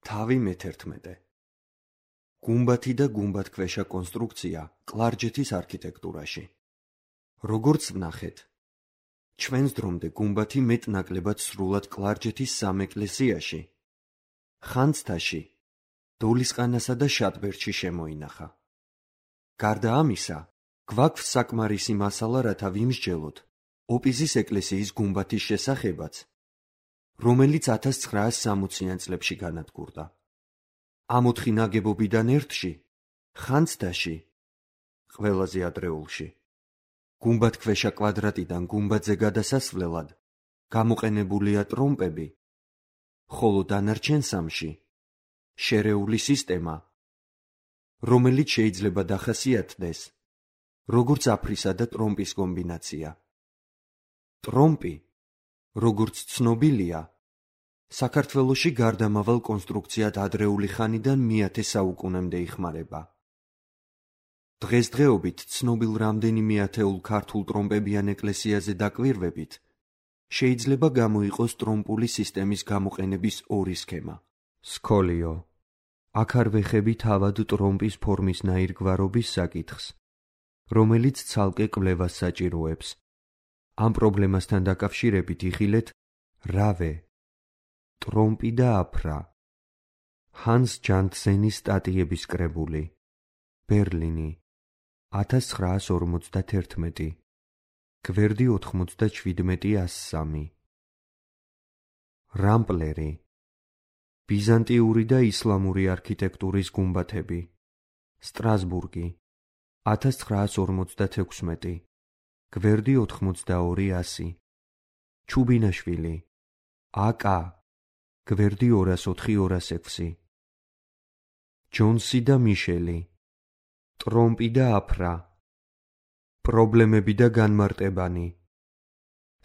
თავი მე-11. გუმბათი და გუმბათქვეშა კონსტრუქცია კლარჯეთის არქიტექტურაში. როგორც ვნახეთ, ჩვენს დრომდე გუმბათი მეტ-ნაკლებად სრულად კლარჯეთის სამეკლესიაში, ხანძთაში, დოლისყანასა და შატბერდში შემოინახა. გარდა ამისა, გვაქვს საკმარისი მასალა, რათა ვიმსჯელოთ ოპიზის ეკლესიის გუმბათის შესახებაც, რომელიც 1960-იან წლებში განადგურდა. ამ 4 ნაგებობიდან ერთში, ხანძთაში, ყველაზე ადრეულში, გუმბათქვეშა კვადრატიდან გუმბათზე გადასასვლელად გამოყენებულია ტრომპები, ხოლო დანარჩენ 3-ში შერეული სისტემა, რომელიც შეიძლება დახასიათდეს როგორც აფრისა და ტრომპის კომბინაცია. ტრომპი, როგორც ცნობილია, საქართველოში გარდამავალ კონსტრუქციად ადრეული ხანიდან მე-10 საუკუნემდე იხმარება. დღესდღეობით ცნობილ რამდენიმე ათეულ ქართულ ტრომპებიან ეკლესიაზე დაკვირვებით, შეიძლება გამოიყოს ტრომპული სისტემის გამოყენების 2 სქემა. სქოლიო. აქ არ ვეხები თავად ტრომპის ფორმის ნაირგვარობის საკითხს, რომელიც ცალკე კვლევას საჭიროებს. ამ პრობლემასთან დაკავშირებით იხილეთ რავე, ტრომპი და აფრა. ჰანს ჯანტზენის სტატიების კრებული. ბერლინი. 1951. გვერდი 97-103. რამპლერი. ბიზანტიური და ისლამური არქიტექტურის გუმბათები. სტრასბურგი. 1956. გვერდი 82-100. ჩუბინაშვილი. აკა. გვერდი 204-206. ჯონსი და მიშელი. ტრომპი და აფრა. პრობლემები და განმარტებანი.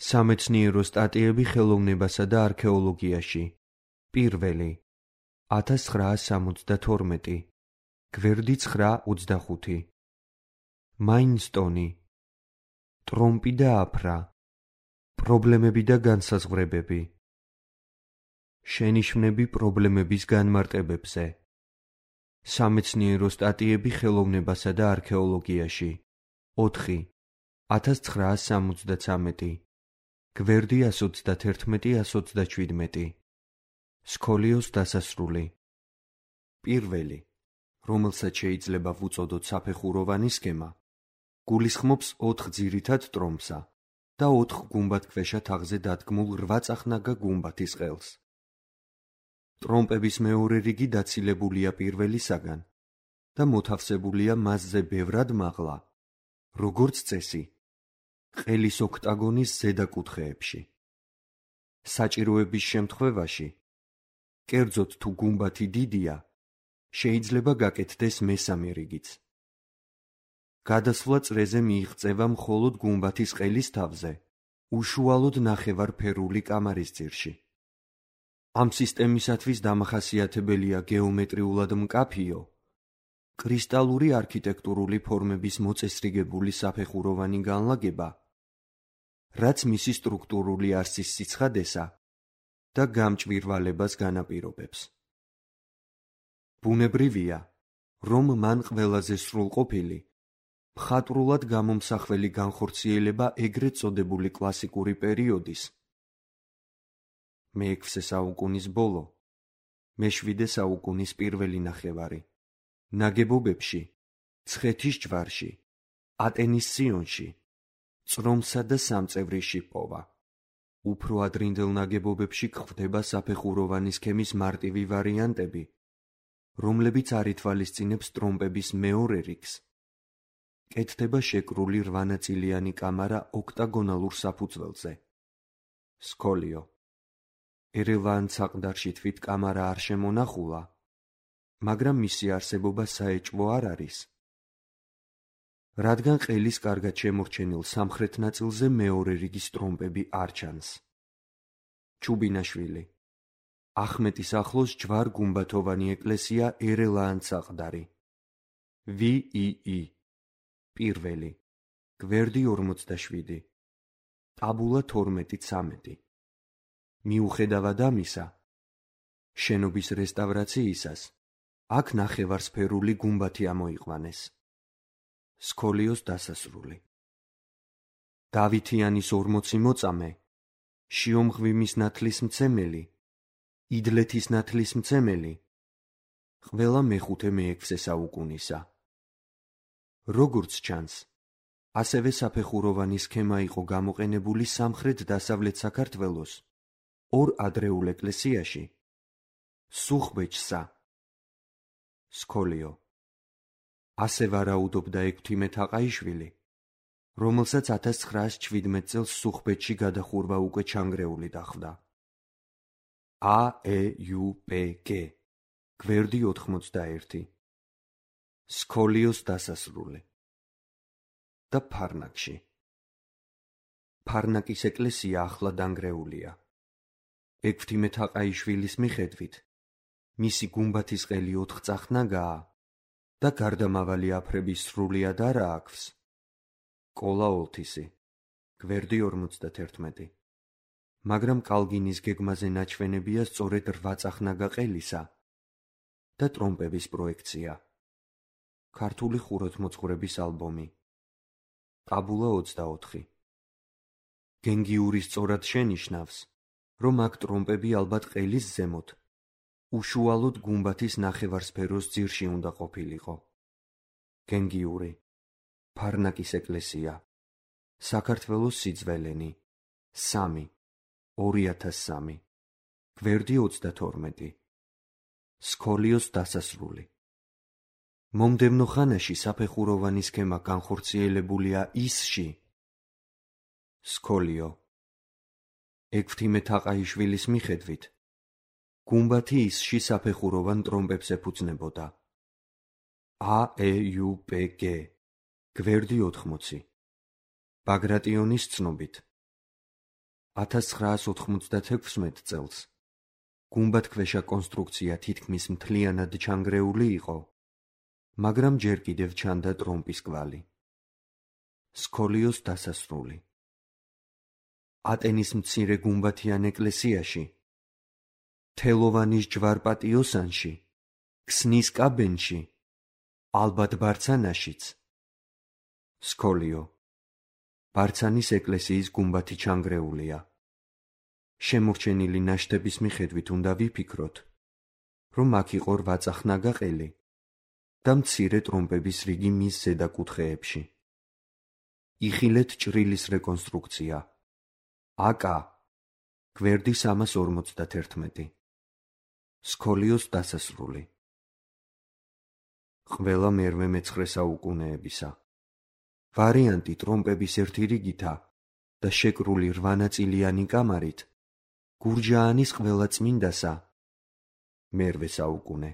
სამეცნიერო სტატიები ხელოვნებასა და არქეოლოგიაში. პირველი. 1972. გვერდი 9-25. მაინსტონი. ტრომპი და აფრა. პრობლემები და განსაზღვრებები. შენიშვნები პრობლემების განმარტებებზე. სამეცნიერო სტატიები ხელოვნებასა და არქეოლოგიაში. 4. 1973. გვერდი 131-127. სქოლიოს დასასრული. პირველი, რომელსაც შეიძლება ვუწოდოთ საფეხუროვანი სქემა, გულისხმობს 4 ძირითად ტრომპსა და 4 გუმბათქვეშა თაღზე დადგმულ 8-წახნაგა გუმბათის ყელს. ტრომპების მეორე რიგი დაცილებულია პირველისაგან და მოთავსებულია მასზე ბევრად მაღლა, როგორც წესი, ყელის ოქტაგონის ზედა კუთხეებში. საჭიროების შემთხვევაში, კერძოდ თუ გუმბათი დიდია, შეიძლება გაკეთდეს მესამე რიგიც. გადასვლა წრეზე მიიღწევა მხოლოდ გუმბათის ყელის თავზე, უშუალოდ ნახევარფერული კამარის ძირში. ამ სისტემისათვის დამახასიათებელია გეომეტრიულად მკაფიო, კრისტალური არქიტექტურული ფორმების მოწესრიგებული საფეხუროვანი განლაგება, რაც მისი სტრუქტურული არსის სიცხადესა და გამჭვირვალებას განაპირობებს. ბუნებრივია, რომ მან ყველაზე სრულყოფილი, მხატვრულად გამომსახველი განხორციელება ეგრეთ წოდებული კლასიკური პერიოდის მე-6 საუკუნის ბოლო, მე-7 საუკუნის პირველი ნახევარი ნაგებობებში, ცხეთის ჯვარში, ატენის სიონში, წრომსა და სამწევრიში პოვა. უფრო ადრინდელ ნაგებობებში გვხვდება საფეხუროვანი სქემის მარტივი ვარიანტები, რომლებიც არ ითვალისწინებს ტრომპების მეორე რიგს. კეთდება შეკრული 8-ნაწილიანი კამარა ოქტაგონალურ საფუძველზე. სქოლიო. ერევან საყდარში თვით კამარა არ შემონახულა, მაგრამ მისი არსებობა საეჭვო არ არის. რადგან ყელის კარგად შემორჩენილ სამხრეთ ნაწილზე მეორე რიგის ტრომპები არ ჩანს. ჩუბინაშვილი. ახმეტის ახლოს ჯვარ-გუმბათოვანი ეკლესია ერელაან-საყდარი. VII. პირველი. გვერდი 47. ტაბულა 12-13. მიუხედავად ამისა, შენობის რესტავრაციისას აქ ნახევარსფერული გუმბათი ამოიყვანეს. სქოლიოს დასასრული. დავითიანის 40 მოწამე, შიომღვიმის ნათლისმცემელი, იდლეთის ნათლისმცემელი, ყველა მე-5-მე-6 საუკუნისა. როგორც ჩანს, ასევე საფეხუროვანი სქემა იყო გამოყენებული სამხრეთ-დასავლეთ საქართველოს ორ ადრეულ ეკლესიაში, სუხბეჭსა. სქოლიო. ასე ვარაუდობდა ექვთიმე თაყაიშვილი, რომელსაც 1917 წელს სუხბეჭში გადახურვა უკვე ჩანგრეული დახვდა. AEUPG გვერდი 81. სქოლიოს დასასრული. და ფარნაკში. ფარნაკის ეკლესია ახლა დანგრეულია. ექვთიმე თაყაიშვილის მიხედვით, მისი გუმბათის ყელი 4 წახნაგაა და გარდამავალი აფრების სრულიად არა აქვს. კოლა ოლთისი, გვერდი 51. მაგრამ კალგინის გეგმაზე ნაჩვენებია სწორედ 8 წახნაგა ყელისა და ტრომპების პროექცია. ქართული ხუროთმოძღვრების ალბომი. ტაბულა 24. გენგიური სწორად შენიშნავს, რომ აქ ტრომპები ალბათ ყელის ზემოთ, უშუალოდ გუმბათის ნახევარსფეროს ძირში უნდა ყოფილიყო. გენგიური. ფარნაკის ეკლესია. საქართველოს სიძველენი. 3. 2003. გვერდი 32. სქოლიოს დასასრული. მომდევნო ხანაში საფეხუროვანი სქემა განხორციელებულია ისში. სქოლიო. ექვთიმე თაყაიშვილის მიხედვით, გუმბათი ისში საფეხუროვან ტრომპებს ეფუძნებოდა. AEUPG გვერდი 80. ბაგრატიონის ცნობით, 1996 წელს გუმბათქვეშა კონსტრუქცია თითქმის მთლიანად ჩანგრეული იყო, მაგრამ ჯერ კიდევ ჩანდა ტრომპის კვალი. სქოლიოს დასასრული. ატენის მცირე გუმბათიან ეკლესიაში, თელოვანის ჯვარპატიოსანში, ქსნის კაბენში, ალბათ ბარცანაშიც. სქოლიო. ბარცანის ეკლესიის გუმბათი ჩანგრეულია. შემორჩენილი ნაშთების მიხედვით უნდა ვიფიქროთ, რომ აქ იყო 8 წახნაგა ყელი და მცირე ტრომპების რიგი მის ზედა კუთხეებში. იხილეთ ჭრილის რეკონსტრუქცია. AK გვერდი 351. სქოლიოს დასასრული. ყველა მე-9 საუკუნეებისა. ვარიანტი ტრომპების ერთი რიგითა და შეკრული 8 ნაწილიანი კამარით გურჯაანის ყველა წმინდასა მე-8 საუკუნე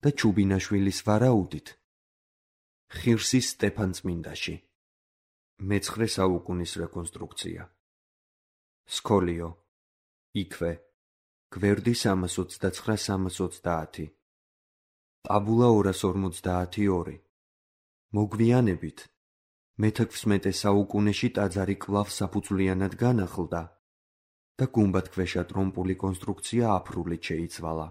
და ჩუბინაშვილის ვარაუდით ხირსის სტეფანწმინდაში მე-9 საუკუნის რეკონსტრუქცია. სქოლიო. იქვე. გვერდი 329-330. ტაბულა 252. მოგვიანებით მე-16 საუკუნეში ტაძარი კვლავ საფუძვლიანად განახლდა და გუმბათქვეშა ტრომპული კონსტრუქცია აფრულით შეიცვალა.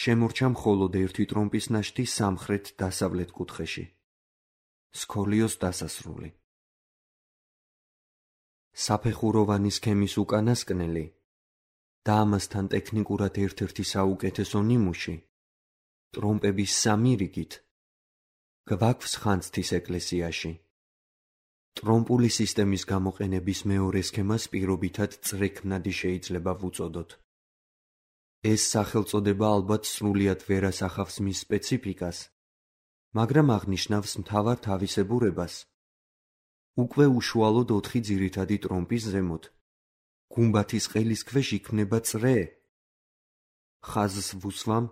შემორჩა მხოლოდ ერთი ტრომპის ნაშთი სამხრეთ-დასავლეთ კუთხეში. სქოლიოს დასასრული. საფეხუროვანი სქემის უკანასკნელი და ამასთან ტექნიკურად ერთ-ერთი საუკეთესო ნიმუში, ტრომპების 3 რიგით, გვაქვს ხანძთის ეკლესიაში. ტრომპული სისტემის გამოყენების მეორე სქემას პირობითად წრექმნადი შეიძლება ვუწოდოთ. ეს სახელწოდება ალბათ სრულიად ვერ ასახავს მის სპეციფიკას, მაგრამ აღნიშნავს მთავარ თავისებურებას. უკვე უშუალოდ 4 ძირითადი ტრომპის ზემოთ, გუმბათის ყელის ქვეშ იქმნება წრე. ხაზს ვუსვამ,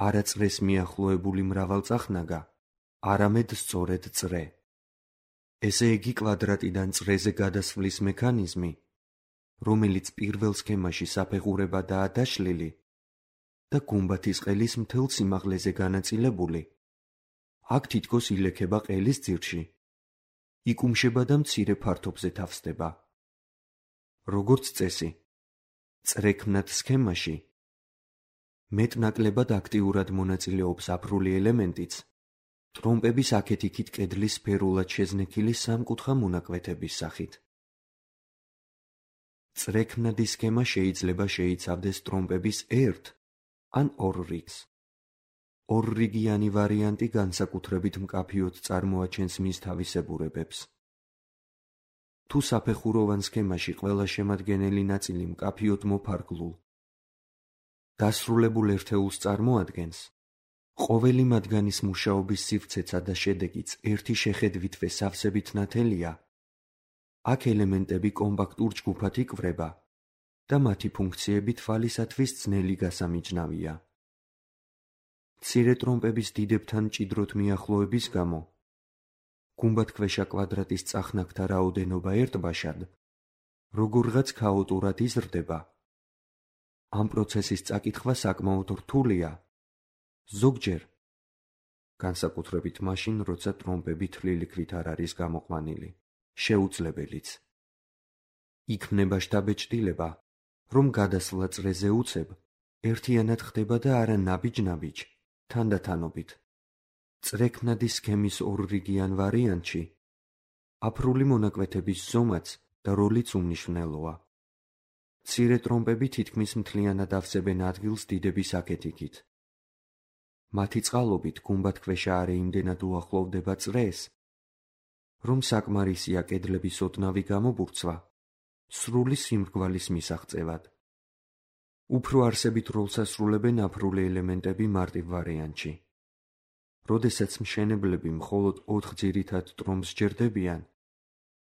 არა წრეს მიახლოებული მრავალწახნაგა, არამედ სწორედ წრე. ესე იგი კვადრატიდან წრეზე გადასვლის მექანიზმი, რომელიც პირველ სქემაში საფეხურებადაა დაშლილი და გუმბათის ყელის მთელ სიმაღლეზე განაწილებული, აქ თითქოს ილექება ყელის ძირში, იკუმშება და მცირე ფართობზე თავსდება. როგორც წესი, წრექმნად სქემაში მეტნაკლებად აქტიურად მონაწილეობს აფრული ელემენტიც, ტრომპების აქეთ-იქით კედლის სფერულად შეზნექილი სამკუთხა მონაკვეთების სახით. წრექმნადი სქემა შეიძლება შეიცავდეს ტრომპების ერთ ან ორ რიგს. ორრიგიანი ვარიანტი განსაკუთრებით მკაფიოდ წარმოაჩენს მის თავისებურებებს. თუ საფეხუროვან სქემაში ყველა შემადგენელი ნაწილი მკაფიოდ მოფარგლულ, დასრულებულ ერთეულს წარმოადგენს, ყოველი მათგანის მუშაობის სივრცეცა და შედეგიც ერთი შეხედვითვე სავსებით ნათელია, აქ ელემენტები კომპაქტურ ჯგუფად იკვრება და მათი ფუნქციები თვალისათვის ძნელი გასამიჯნავია. მცირე ტრომპების დიდებთან მჭიდროდ მიახლოების გამო, გუმბათქვეშა კვადრატის წახნაგთა რაოდენობა ერთბაშად, როგორღაც ქაოტურად იზრდება. ამ პროცესის წაკითხვა საკმაოდ რთულია, ზოგჯერ, განსაკუთრებით მაშინ, როცა ტრომპები თლილი ქვით არ არის გამოყვანილი, შეუძლებელიც. იქმნება შთაბეჭდილება, რომ გადასვლა წრეზე უცებ ერთიანად ხდება და არა ნაბიჯ-ნაბიჯ, თანდათანობით. წრექმნადი სქემის ორრიგიან ვარიანტში აფრული მონაკვეთების ზომაც და როლიც უმნიშვნელოა. მცირე ტრომპები თითქმის მთლიანად ავსებენ ადგილს დიდების აქეთ-იქით. მათი წყალობით გუმბათქვეშა არა იმდენად უახლოვდება წრეს, რომ საკმარისია კედლების ოდნავი გამობურცვა სრული სიმრგვალის მისაღწევად. უფრო არსებით როლს ასრულებენ აფრული ელემენტები მარტივ ვარიანტში. როდესაც მშენებლები მხოლოდ 4 ძირითად ტრომპს ჯერდებიან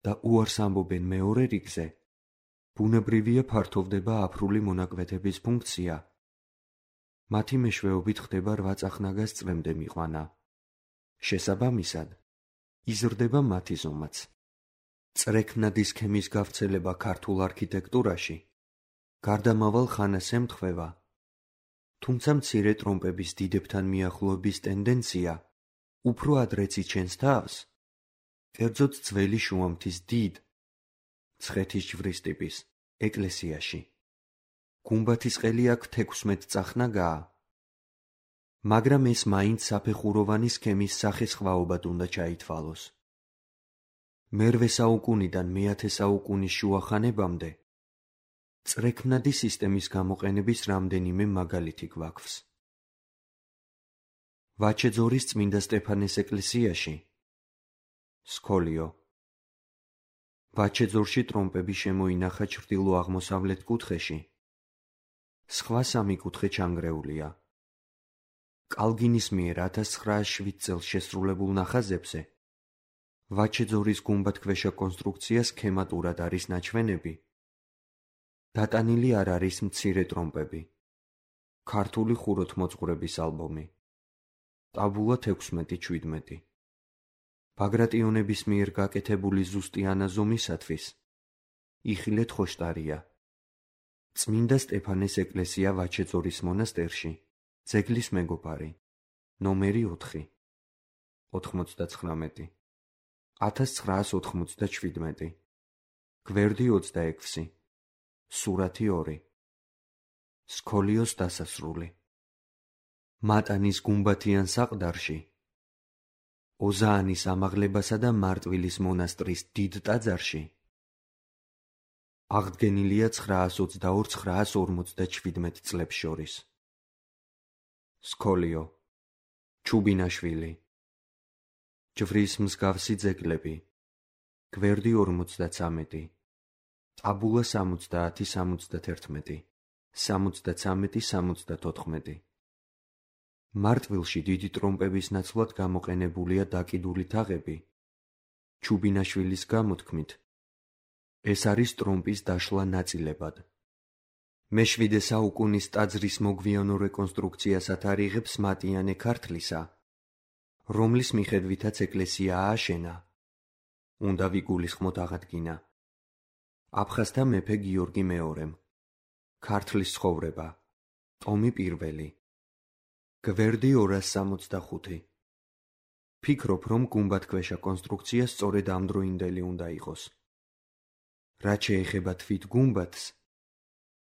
და უარს ამბობენ მეორე რიგზე, ბუნებრივია ფართოვდება აფრული მონაკვეთების ფუნქცია. მათი მეშვეობით ხდება 8 წახნაგას წრემდე მიყვანა. შესაბამისად, იზრდება მათი ზომაც. წრექმნადი სქემის გავრცელება ქართულ არქიტექტურაში გარდამავალ ხანას ემთხვევა, თუმცა მცირე ტრომპების დიდებთან მიახლოების ტენდენცია უფრო ადრეც იჩენს თავს, კერძოდ ძველი შუამთის დიდ, მცხეთის ჯვრის ტიპის ეკლესიაში. გუმბათის ყელი აქ 16 წახნაგაა, მაგრამ ეს მაინც საფეხუროვანი სქემის სახესხვაობად უნდა ჩაითვალოს. მერვე საუკუნიდან მე-10 საუკუნის შუახანებამდე წრექმნადი სისტემის გამოყენების რამდენიმე მაგალითი გვაქვს. ვაჩეძორის წმინდა სტეფანეს ეკლესიაში სკოლიო. ვაჩეძორში ტრომპები შემოინახა ჩრდილო-აღმოსავლეთ კუთხეში. სხვა სამი კუთხე ჩანგრეულია. კალგინის მიერ 1907 წელს შესრულებულ ნახაზებზე ვაჩეძორის გუმბათქვეშა კონსტრუქცია სქემატურად არის ნაჩვენები. დატანილი არ არის მცირე ტრომპები. ქართული ხუროთმოძღვრების ალბომი. ტაბულა 16-17. ბაგრატიონების მიერ გაკეთებული ზუსტი ანაზომისათვის იხილეთ ხოშტარია. წმინდა სტეფანეს ეკლესია ვაჩეძორის მონასტერში, ძეგლის მეგობარი, ნომერი 4, 99, 1997, გვერდი 26, სურათი 2, სკოლიოს დასასრული. მატანის გუმბათიან საყდარში, ოზაანის ამაღლებასა და მარტვილის მონასტრის დიდ ტაძარში აღდგენილია 922-957 წლებს შორის. სკოლიო, ჩუბინაშვილი, ჯვრის მსგავსი ძეგლები, გვერდი 53, ტაბულა 70-71, 73-74. მარტვილში დიდი ტრომპების ნაცვლად გამოყენებულია დაკიდული თაღები. ჩუბინაშვილის გამოთქმით, ეს არის ტრომპის დაშლა ნაწილებად. მე-7 საუკუნის ტაძრის მოგვიანო რეკონსტრუქციას ათარიღებს მატიანე ქართლისა, რომლის მიხედვითაც ეკლესია ააშენა. უნდა ვიგულისხმოთ აღადგინა. აფხაზთა მეფე გიორგი მეორემ. ქართლის ცხოვრება. ტომი 1. გვერდი 265. ფიქრობ, რომ გუმბათქვეშა კონსტრუქცია სწორედ ამდროინდელი უნდა იყოს. რაც შეეხება თვით გუმბათს,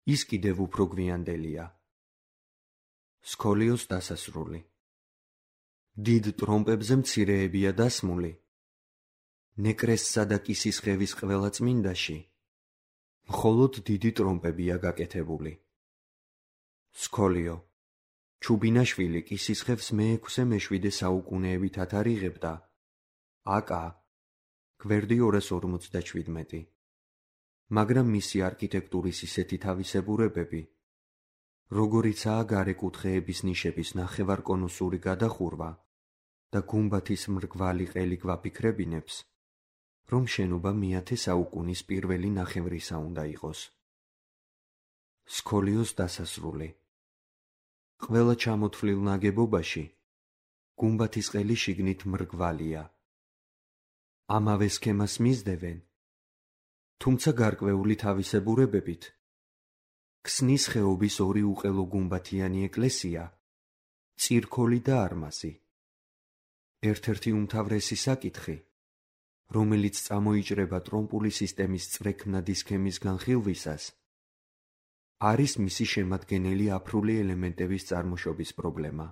ის კიდევ უფრო გვიანდელია. სქოლიოს დასასრული. დიდ ტრომპებზე მცირეებია დასმული. ნეკრესსა და კისისხევის ყველა წმინდაში მხოლოდ დიდი ტრომპებია გაკეთებული. სქოლიო. ჩუბინაშვილი კისისხევს მე-6-მე-7 საუკუნეებით ათარიღებდა. აკა. გვერდი 247. მაგრამ მისი არქიტექტურის ისეთი თავისებურებები, როგორიცაა გარე კუთხეების ნიშების ნახევარკონუსური გადახურვა და გუმბათის მრგვალი ყელი გვაფიქრებინებს, რომ შენობა მე-10 საუკუნის პირველი ნახევრისა უნდა იყოს. სქოლიოს დასასრული. ყველა ჩამოთვლილ ნაგებობაში გუმბათის ყელი შიგნით მრგვალია. ამავე სქემას მისდევენ, თუმცა გარკვეული თავისებურებებით ქსნის ხეობის ორი უყელო გუმბათიანი ეკლესია, წირქოლი და არმაზი. ერთ-ერთი უმთავრესი საკითხი, რომელიც წამოიჭრება ტრომპული სისტემის წრექმნადი სქემის განხილვისას, არის მისი შემადგენელი აფრული ელემენტების წარმოშობის პრობლემა.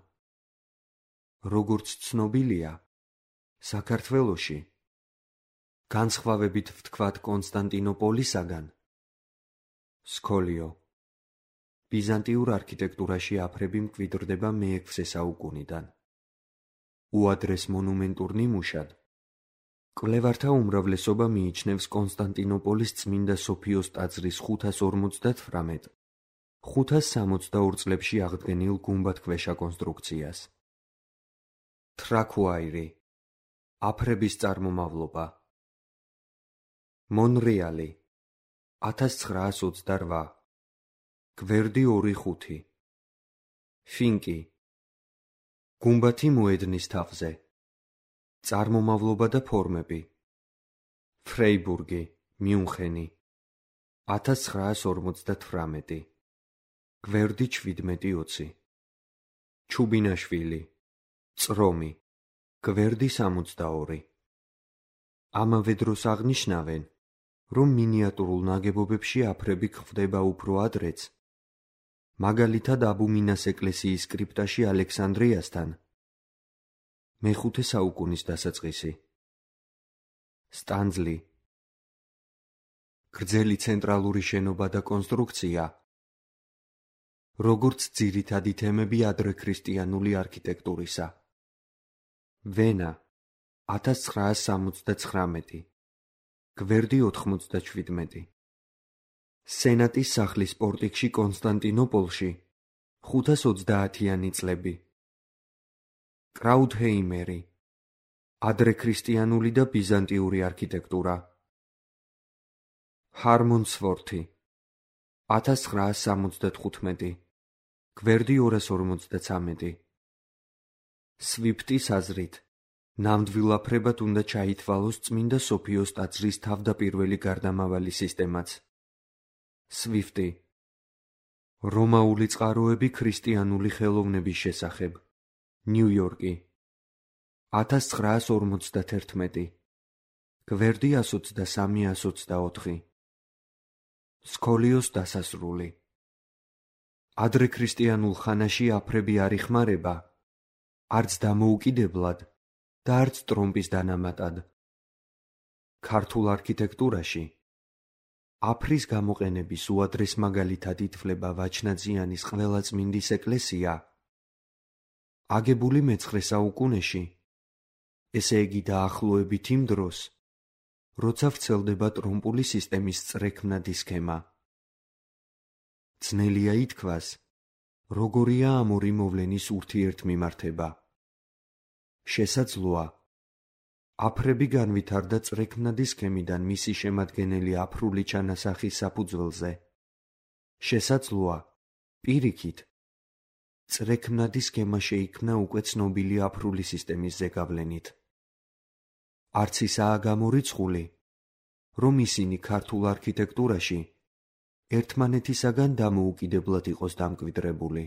როგორც ცნობილია, საქართველოში, განსხვავებით ვთქვათ კონსტანტინოპოლისაგან, სქოლიო, ბიზანტიურ არქიტექტურაში აფრები მკვიდრდება მე-6 საუკუნიდან. უადრეს მონუმენტურ ნიმუშად კვლევართა უმრავლესობა მიიჩნევს კონსტანტინოპოლის წმინდა სოფიოს ტაძრის 558-562 წლებში აღდგენილ გუმბათქვეშა კონსტრუქციას. თრაქუაირი. აფრების წარმომავლობა. მონრეალი. 1928. გვერდი 2-5. ფინკი. გუმბათი მოედნის თავზე. წარმომავლობა და ფორმები. ფრეიბურგი, მიუნხენი. 1958. გვერდი 17-20. ჩუბინაშვილი. წრომი. გვერდი 62. ამავე დროს აღნიშნავენ, რომ მინიატურულ ნაგებობებში აფრები გვხვდება უფრო ადრეც, მაგალითად აბუმინას ეკლესიის კრიპტაში ალექსანდრიასთან, მე-5 საუკუნის დასაწყისი. სტანძლი. გრძელი ცენტრალური შენობა და კონსტრუქცია, როგორც ძირითადი თემები ადრექრისტიანული არქიტექტურისა. ვენა. 1969. გვერდი 97. სენატის სახლის პორტიკში კონსტანტინოპოლში 530-იანი წლები. კრაუთჰეიმერი. ადრექრისტიანული და ბიზანტიური არქიტექტურა. ჰარმონსვორთი. 1975. გვერდი 253. სვიფტის აზრით, ნამდვილ აფრებად უნდა ჩაითვალოს წმინდა სოფიოს ტაძრის თავდაპირველი გარდამავალი სისტემაც. სვიფტი. რომაული წყაროები ქრისტიანული ხელოვნების შესახებ. ნიუ-იორკი. 1951. გვერდი 123-124. სქოლიოს დასასრული. ადრექრისტიანულ ხანაში აფრები არ იხმარება, არც დამოუკიდებლად და არც ტრომპის დანამატად. ქართულ არქიტექტურაში აფრის გამოყენების უადრეს მაგალითად ითვლება ვაჩნაძიანის ყველაწმინდის ეკლესია, აგებული მე-9 საუკუნეში, ესე იგი დაახლოებით იმ დროს, როცა ვრცელდება ტრომპული სისტემის წრექმნადი სქემა. ძნელია ითქვას, როგორია ამ ორი მოვლენის ურთიერთმიმართება. შესაძლოა, აფრები განვითარდა წრექმნადი სქემიდან მისი შემადგენელი აფრული ჩანასახის საფუძველზე. შესაძლოა, პირიქით, წრექმნადი სქემა შეიქმნა უკვე ცნობილი აფრული სისტემის ზეგავლენით. არც ისაა გამორიცხული, რომ ისინი ქართულ არქიტექტურაში ერთმანეთისაგან დამოუკიდებლად იყოს დამკვიდრებული.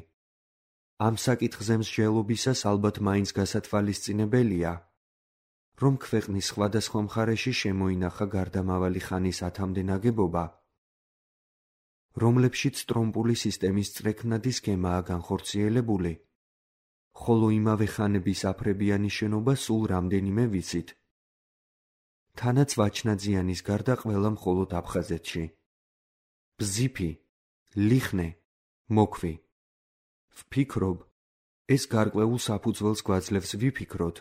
ამ საკითხზე მსჯელობისას ალბათ მაინც გასათვალისწინებელია, რომ ქვეყნის სხვადასხვა მხარეში შემოინახა გარდამავალი ხანის ათამდე ნაგებობა, რომლებშიც ტრომპული სისტემის წრექნადი სქემაა განხორციელებული, ხოლო იმავე ხანების აფრებიანი შენობა სულ რამდენიმე ვიცით. თანაც ვაჩნაძიანის გარდა ყველა მხოლოდ აფხაზეთში. ბზიფი, ლიხნე, მოქვი. ვფიქრობ, ეს გარკვეულ საფუძველს გვაძლევს ვიფიქროთ,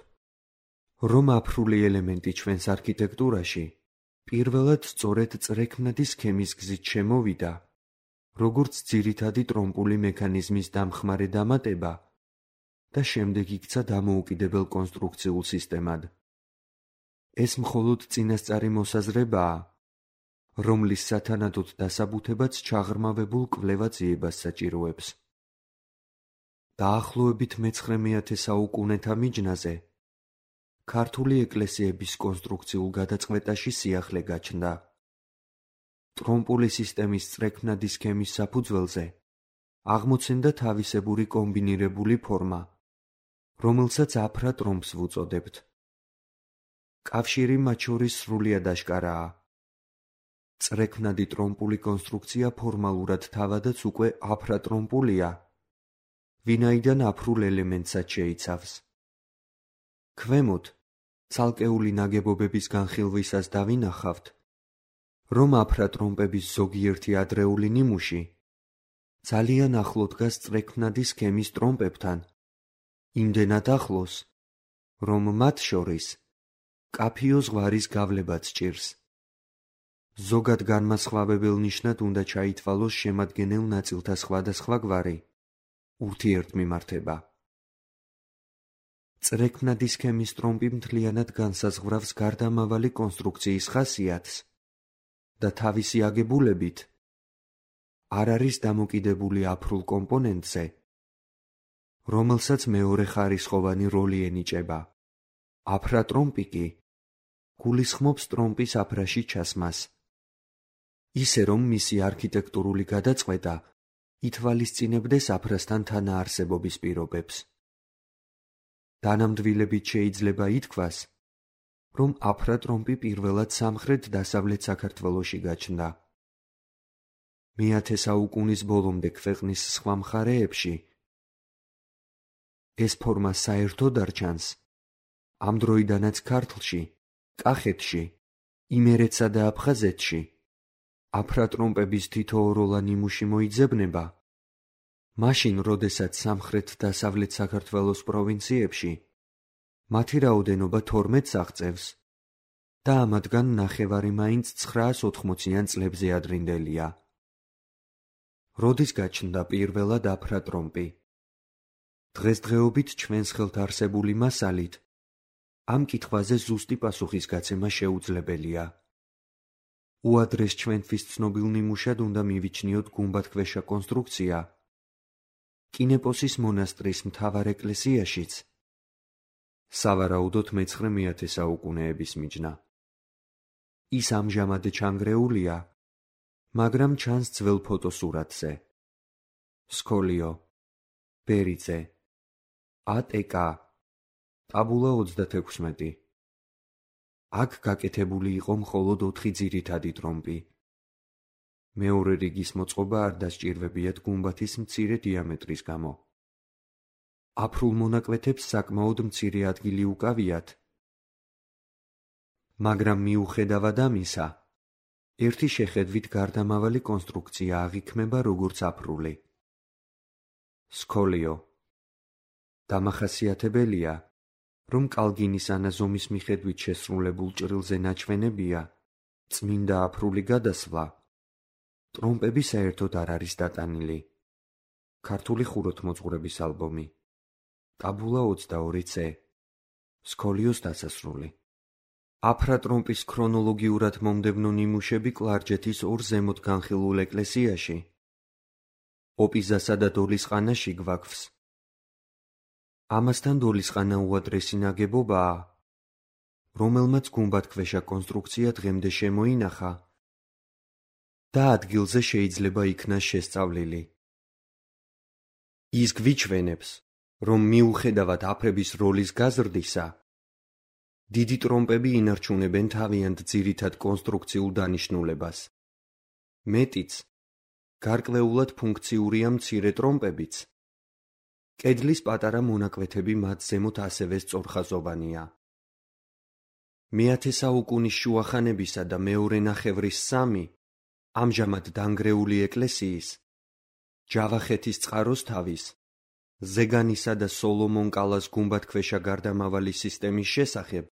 რომ აფრული ელემენტი ჩვენს არქიტექტურაში პირველად სწორედ წრექნადი სქემის გზით შემოვიდა, როგორც ძირითადი ტრომპული მექანიზმის დამხმარე დამატება და შემდეგ იქცა დამოუკიდებელ კონსტრუქციულ სისტემად. ეს მხოლოდ წინასწარი მოსაზრებაა, რომლის სათანადოდ დასაბუთებაც ჩაღრმავებულ კვლევა ძიებას საჭიროებს. დაახლოებით მე-19 საუკუნეთა მიჯნაზე ქართული ეკლესიების კონსტრუქციულ გადაწყვეტაში სიახლე გაჩნდა. ტრომპული სისტემის წრექნადი სქემის საფუძველზე აღმოცენდა თავისებური კომბინირებული ფორმა, რომელსაც აფრა ტრომპს ვუწოდებთ. კავშირი მათ შორის სრულიად აშკარაა. წრექნადი ტრომპული კონსტრუქცია ფორმალურად თავადაც უკვე აფრა ტრომპულია, ვინაიდან აფრულ ელემენტსაც შეიცავს. ქვემოთ, ცალკეული ნაგებობების განხილვისას დავინახავთ, რომ აფრა ტრომპების ზოგიერთი ადრეული ნიმუში ძალიან ახლო დგას წრექნადი სქემის ტრომპებთან, იმდენად ახლოს, რომ მათ შორის კაფიო ზღვარის გავლებაც ჭირს. ზოგად განმასხვავებელ ნიშნად უნდა ჩაითვალოს შემადგენელ ნაწილთა სხვადასხვაგვარი ურთიერთმიმართება. წრექნადი სქემის ტრომპი მთლიანად განსაზღვრავს გარდამავალი კონსტრუქციის ხასიათს და თავისი აგებულებით არ არის დამოკიდებული აფრულ კომპონენტზე, რომელსაც მეორეხარისხოვანი როლი ენიჭება. აფრა ტრომპი კი გულისხმობს ტრომპის აფრაში ჩასმას, ისე რომ მისი არქიტექტურული გადაწყვეტა ითვალისწინებდეს აფრასთან თანაარსებობის პირობებს. დანამდვილებით შეიძლება ითქვას, რომ აფრა ტრომპი პირველად სამხრეთ-დასავლეთ საქართველოში გაჩნდა. მე-10 საუკუნის ბოლომდე ქვეყნის სხვა მხარეებში ეს ფორმა საერთოდ არ ჩანს. ამ დროიდანაც ქართლში, კახეთში, იმერეთსა და აფხაზეთში აფრა ტრომპების თითოეულოვანი ნიმუში მოიძებნება, მაშინ, როდესაც სამხრეთ-დასავლეთ საქართველოს პროვინციებში მათი რაოდენობა 12-ს აღწევს და ამათგან ნახევარი მაინც 980-იან წლებზე ადრინდელია. როდის გაჩნდა პირველად აფრა ტრომპი? დღესდღეობით ჩვენს ხელთ არსებული მასალით ამ კითხვაზე ზუსტი პასუხის გაცემა შეუძლებელია. უადრეს ჩვენთვის ცნობილ ნიმუშად უნდა მივიჩნიოთ გუმბათქვეშა კონსტრუქცია კინეპოსის მონასტრის მთავარ ეკლესიაშიც, სავარაუდოდ მე-19 საუკუნეების მიჯნა. ის ამჟამად ჩანგრეულია, მაგრამ ჩანს ძველ ფოტოსურათზე. სკოლიო, ბერიძე, ატკ, ტაბულა 36. აქ გაკეთებული იყო მხოლოდ 4 ძირითადი ტრომპი. მეორე რიგის მოწყობა არ დასჭირვებიათ გუმბათის მცირე დიამეტრის გამო. აფრულ მონაკვეთებს საკმაოდ მცირე ადგილი უკავიათ, მაგრამ მიუხედავად ამისა, ერთი შეხედვით გარდამავალი კონსტრუქცია აღიქმება როგორც აფრული. სკოლიო. დამახასიათებელია, რომ კალგინის ანაზომის მიხედვით შესრულებულ ჭრილზე ნაჩვენებია წმინდა აფრული გადასვლა, ტრომპები საერთოდ არ არის დატანილი. ქართული ხუროთმოძღვრების ალბომი. ტაბულა 22C. სკოლიოს დასასრული. აფრა ტრომპის ქრონოლოგიურად მომდევნო ნიმუშები კლარჯეთის ორ ზემოთ განხილულ ეკლესიაში, ოპიზასა და დოლისყანაში გვაქვს. ამასთან დოლისყანა უადრესი ნაგებობაა, რომელმაც გუმბათქვეშა კონსტრუქცია დღემდე შემოინახა და ადგილზე შეიძლება იქნას შესწავლილი. ის გვიჩვენებს, რომ მიუხედავად აფრების როლის გაზრდისა, დიდი ტრომპები ინარჩუნებენ თავიანთ ძირითად კონსტრუქციულ დანიშნულებას. მეტიც, გარკვეულად ფუნქციურია მცირე ტრომპებიც. კედლის პატარა მონაკვეთები მათ ზემოთ ასევე სწორხაზოვანია. მე-10 საუკუნის შუახანებისა და მეორე ნახევრის 3 ამჟამად დანგრეული ეკლესიის, ჯავახეთის წყაროსთავის, ზეგანისა და სოლომონ კალას გუმბათქვეშა გარდამავალი სისტემის შესახებ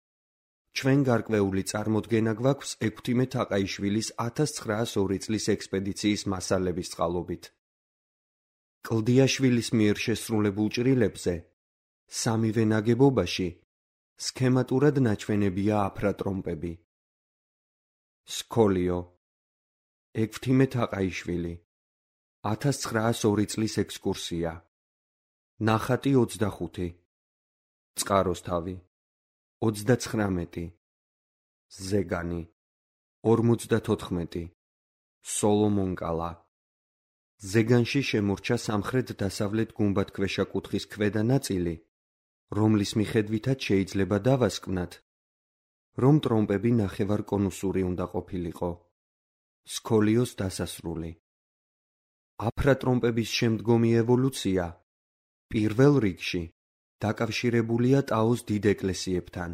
ჩვენ გარკვეული წარმოდგენა გვაქვს ექვთიმე თაყაიშვილის 1902 წლის ექსპედიციის მასალების წყალობით. კლდიაშვილის მიერ შესრულებულ ჭრილებზე სამივე ნაგებობაში სქემატურად ნაჩვენებია აფრატრომპები. სქოლიო ექვთიმე თაყაიშვილი 1902 წლის ექსკურსია. ნახატი 25, წყაროსთავი 39, ზეგანი 54, სოლომონ კალა. ზეგანში შემორჩა სამხრეთ-დასავლეთ გუმბათქვეშა კუთხის ქვედა ნაწილი, რომლის მიხედვითაც შეიძლება დავასკვნათ, რომ ტრომპები ნახევარკონუსური უნდა ყოფილიყო. სქოლიოს დასასრული. აფრატრომპების შემდგომი ევოლუცია პირველ რიგში დაკავშირებულია ტაოს დიდ ეკლესიებთან.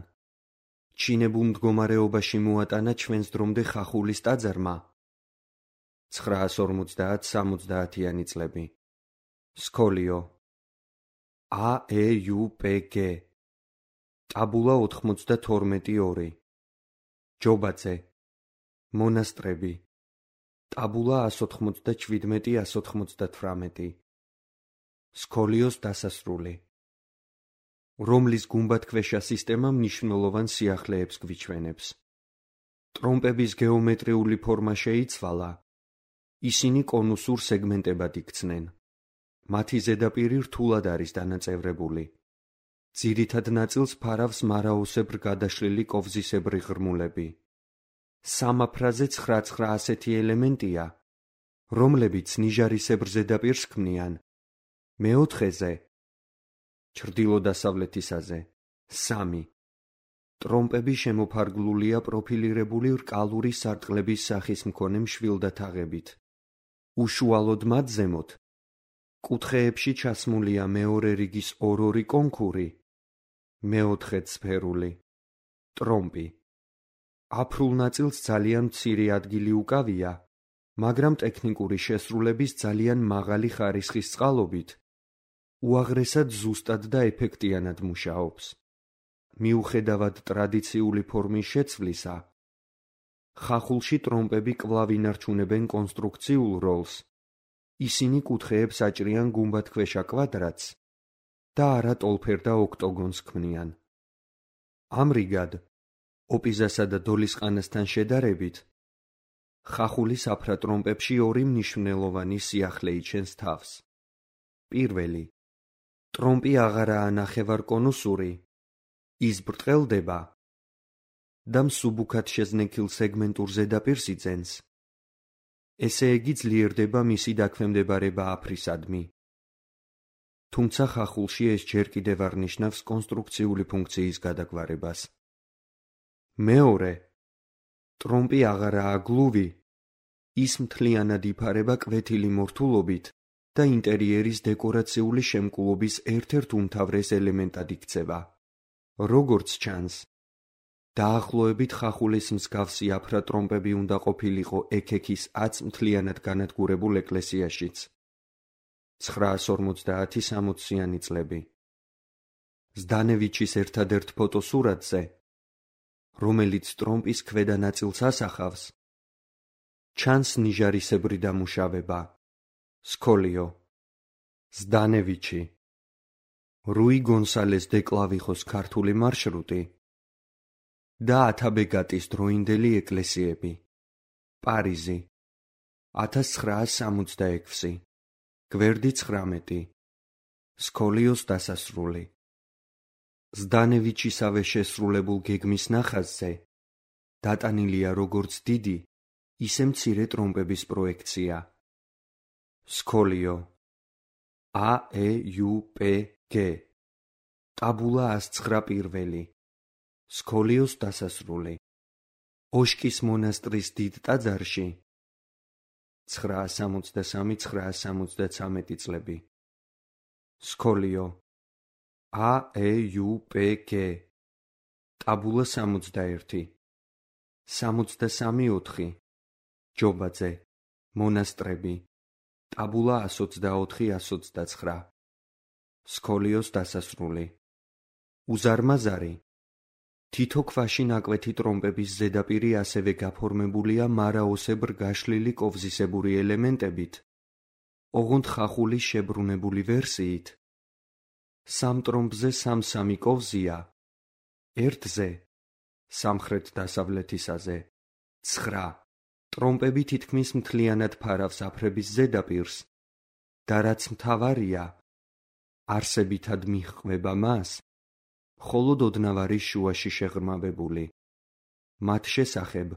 ჩინებულ მდგომარეობაში მოატანა ჩვენს დრომდე ხახულის ტაძარმა 950-70-იანი წლები. სქოლიო AEUPG ტაბულა 92-2 ჯობაძე მონასტრები ტაბულა 197-198 სქოლიოს დასასრული, რომლის გუმბათქვეშა სისტემა მნიშვნელოვან სიახლეებს გვიჩვენებს. ტრომპების გეომეტრიული ფორმა შეიცვალა, ისინი კონუსურ სეგმენტებად იქცნენ. მათი ზედაპირი რთულად არის დანაწევრებული. ძირითად ნაწილს ფარავს მარაოსებრ გადაშლილი კოვზისებრი ღრმულები. სამაფრაზე 9 ასეთი ელემენტია, რომლებიც ნიჟარისებრ ზედაპირს ქმნიან. მეოთხეზე, ჩრდილო-დასავლეთისაზე, 3. ტრომპები შემოფარგლულია პროფილირებული რკალური სარტყლების სახის მქონე მშვილდა თაღებით. უშუალოდ მათ ზემოთ, კუთხეებში ჩასმულია მეორე რიგის ორ-ორი კონქური, მეოთხე სფერული, ტრომპი. აფრულ ნაწილს ძალიან მცირე ადგილი უკავია, მაგრამ ტექნიკური შესრულების ძალიან მაღალი ხარისხის წყალობით უაღრესად ზუსტად და ეფექტიანად მუშაობს. მიუხედავად ტრადიციული ფორმის შეცვლისა, ხახულში ტრომპები კვლავ ინარჩუნებენ კონსტრუქციულ როლს. ისინი კუთხეებს აჭრიან გუმბათქვეშა კვადრატს და არა ტოლფერდა ოქტოგონს ქმნიან. ამრიგად, ოპიზასა და დოლისყანასთან შედარებით, ხახულის აფრატრომპებში ორი მნიშვნელოვანი სიახლე იჩენს თავს. პირველი, ტრომპი აღარაა ნახევარკონუსური, ის ბრტყელდება და მსუბუქად შეზნექილ სეგმენტურ ზედაპირს იძენს. ესე იგი ძლიერდება მისი დაქვემდებარება აფრისადმი. თუმცა ხახულში ეს ჯერ კიდევ არ ნიშნავს კონსტრუქციული ფუნქციის გადაგვარებას. მეორე, ტრომპი აღარაა გლუვი, ის მთლიანად იფარება კვეთილი მორთულობით და ინტერიერის დეკორაციული შემკულობის ერთ-ერთ უმთავრეს ელემენტად იქცევა. როგორც ჩანს, დაახლოებით ხახულის მსგავსი აფრატრომპები უნდა ყოფილიყო ექექის 10 მთლიანად განადგურებულ ეკლესიაშიც. 950-60-იანი წლები. ზდანევიჩის ერთადერთ ფოტოსურათზე, რომელიც ტრომპის ქვედა ნაწილს ასახავს, ჩანს ნიჟარისებრი დამუშავება. სქოლიო ზდანევიჩი რუი გონსალეს დე კლავიხოს ქართული მარშრუტი და ათაბეგატის დროინდელი ეკლესიები. პარიზი 1966, გვერდი 19. სქოლიოს დასასრული. ზდანევიჩისავე შესრულებულ გეგმის ნახაზზე დატანილია როგორც დიდი, ისე მცირე ტრომპების პროექცია. სქოლიო AEUPG ტაბულა 109 სქოლიოს დასასრული. ოშკის მონასტრის დიდ ტაძარში 963-973 წლები. სკოლიო AEUPG ტაბულა 61 63-4 ჯობაძე მონასტრები ტაბულა 124-129 სკოლიოს დასასრული. უზარმაზარი თითო ქვაში ნაკვეთი ტრომპების ზედაპირი ასევე გაფორმებულია მარაოსებრ გაშლილი კოვზისებური ელემენტებით, ოღონდ ხახულის შებრუნებული ვერსიით. სამ ტრომპზე სამ-სამი კოვზია, ერთზე, სამხრეთ-დასავლეთისაზე, 9 ტრომპები თითქმის მთლიანად ფარავს აფრების ზედაპირს და რაც მთავარია, არსებითად მიჰყვება მას, მხოლოდ ოდნავარის შუაში შეღრმავებული. მათ შესახებ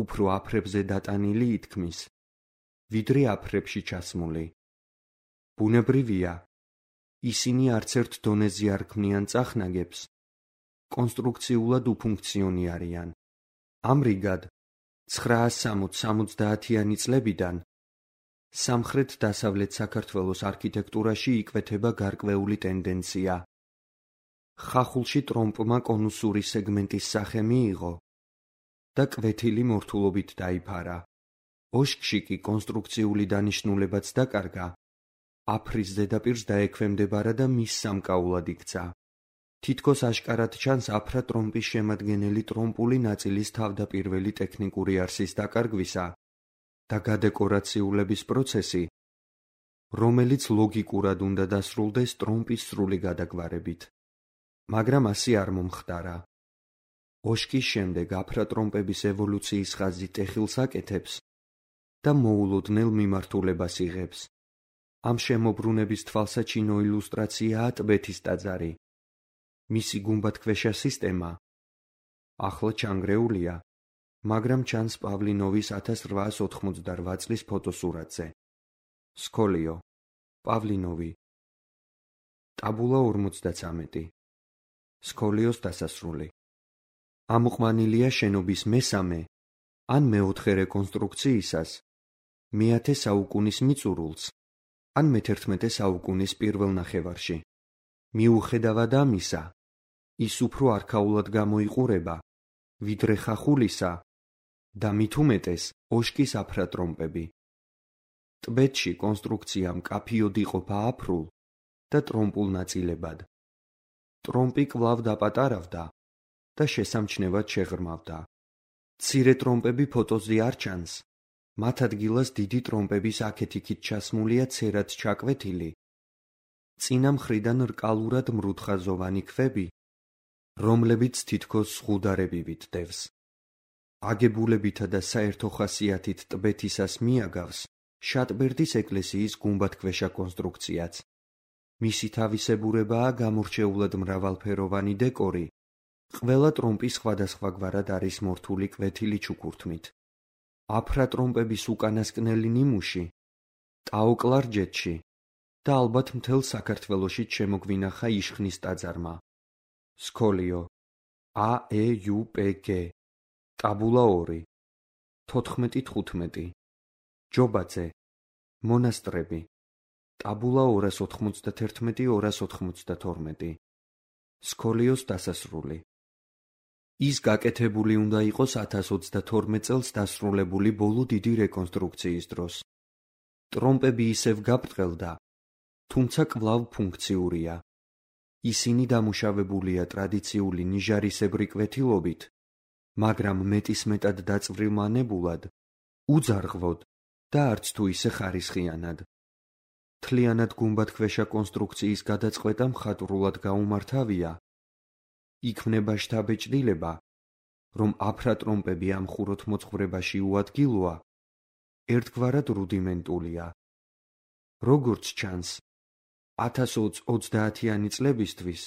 უფრო აფრებზე დატანილი ითქმის, ვიდრე აფრებში ჩასმული. ბუნებრივია, ისინი არცერთ დონეზე არ ქმნიან წახნაგებს, კონსტრუქციულად უფუნქციონირებიან. ამრიგად, 960-70-იანი წლებიდან სამხრეთ-დასავლეთ საქართველოს არქიტექტურაში იკვეთება გარკვეული ტენდენცია. ხახულში ტრომპმა კონუსური სეგმენტის სახე მიიღო და კვეთილი მორთულობით დაიფარა. ოშქში კი კონსტრუქციული დანიშნულებაც დაკარგა, აფრის ზედაპირს დაექვემდებარა და მის სამკაულად იქცა. თითქოს აშკარად ჩანს აფრა ტრომპის შემადგენელი ტრომპული ნაწილის თავდაპირველი ტექნიკური არსის დაკარგვისა და გადეკორაციულების პროცესი, რომელიც ლოგიკურად უნდა დასრულდეს ტრომპის სრული გადაგვარებით. მაგრამ ასე არ მომხდარა. ოშკის შემდეგ აფრა ტრომპების ევოლუციის ხაზი ტეხილს აკეთებს და მოულოდნელ მიმართულებას იღებს. ამ შემოbrunების თვალსაჩინო ილუსტრაციაა ტბეთის ტაძარი. მისი გუმბათქვეშა სისტემა ახლა ჩანგრეულია, მაგრამ ჩანს პავლინოვის 1888 წლის ფოტოსურათზე. სკოლიო პავლინოვი ტაბულა 53 სკოლიოს დასასრული. ამოყვანილია შენობის მესამე ან მეოთხე რეკონსტრუქციისას, მე-10 საუკუნის მიწურულს ან მე-11 საუკუნის პირველ ნახევარში. მიუხედავად ამისა, ის უფრო არქაულად გამოიყურება, ვიდრე ხახულისა და მით უმეტეს ოშკის აფრა ტრომპები. ტბეთში კონსტრუქცია მკაფიოდ იყოფა აფრულ და ტრომპულ ნაწილებად. ტრომპი კვლავ დაპატარავდა და შესამჩნევად შეღრმავდა. მცირე ტრომპები ფოტოზე არ ჩანს, მათ ადგილას დიდი ტრომპების აქეთ-იქით ჩასმულია ცერად ჩაკვეთილი, წინა მხრიდან რკალურად მრუდხაზოვანი ქვები, რომლებიც თითქოს ზღუდარებივით დევს. აგებულებითა და საერთო ხასიათით ტბეთისას მიაგავს შატბერდის ეკლესიის გუმბათქვეშა კონსტრუქციაც. მისი თავისებურებაა გამორჩეულად მრავალფეროვანი დეკორი, ყველა ტრომპი სხვადასხვაგვარად არის მორთული კვეთილი ჩუქურთმით. აფრა ტრომპების უკანასკნელი ნიმუში, ტაოკლარჯეთში და ალბათ მთელ საქართველოში შემოგვინახა იშხნის ტაძარმა. სკოლიო AEUPG ტაბულა 2 14-15 ჯობაძე მონასტრები ტაბულა 291-292 სკოლიოს დასასრული. ის გაკეთებული უნდა იყოს 1022 წელს დასრულებული ბოლო დიდი რეკონსტრუქციის დროს. ტრომპები ისევ გაბრტყელდა, თუმცა კვლავ ფუნქციურია. ისინი დამუშავებულია ტრადიციული ნიჟარისებრი კვეთილობით, მაგრამ მეტისმეტად დაწვრილმანებულად, უძარღვოდ და არც თუ ისე ხარისხიანად. მთლიანად გუმბათქვეშა კონსტრუქციის გადაწყვეტა მხატვრულად გაუმართავია. იქმნება შთაბეჭდილება, რომ აფრა ტრომპები ამ ხუროთ მოწყვრებაში უადგილოა, ერთგვარად რუდიმენტულია. როგორც ჩანს, 1030-იანი წლებისთვის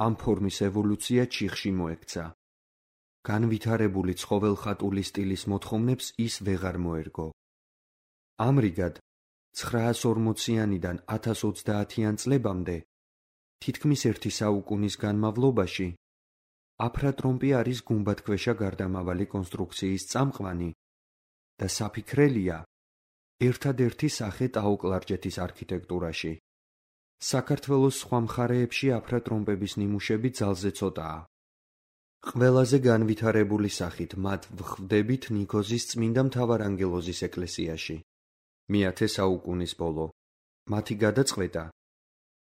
ამ ფორმის ევოლუცია ჩიხში მოექცა. განვითარებული ცხოველხატული სტილის მოთხოვნებს ის ვეღარ მოერგო. ამრიგად, 940-იანიდან 1030-იან წლებამდე, თითქმის ერთი საუკუნის განმავლობაში, აფრა ტრომპი არის გუმბათქვეშა გარდამავალი კონსტრუქციის წამყვანი და საფიქრელია, ერთადერთი სახე ტაო-კლარჯეთის არქიტექტურაში. საქართველოს სხვა მხარეებში აფრა-ტრომპების ნიმუშები ძალზე ცოტაა. ყველაზე განვითარებული სახით მათ ვხვდებით ნიქოზის წმინდა მთავარანგელოზის ეკლესიაში. მე-10 საუკუნის ბოლო. მათი გადაწყვეტა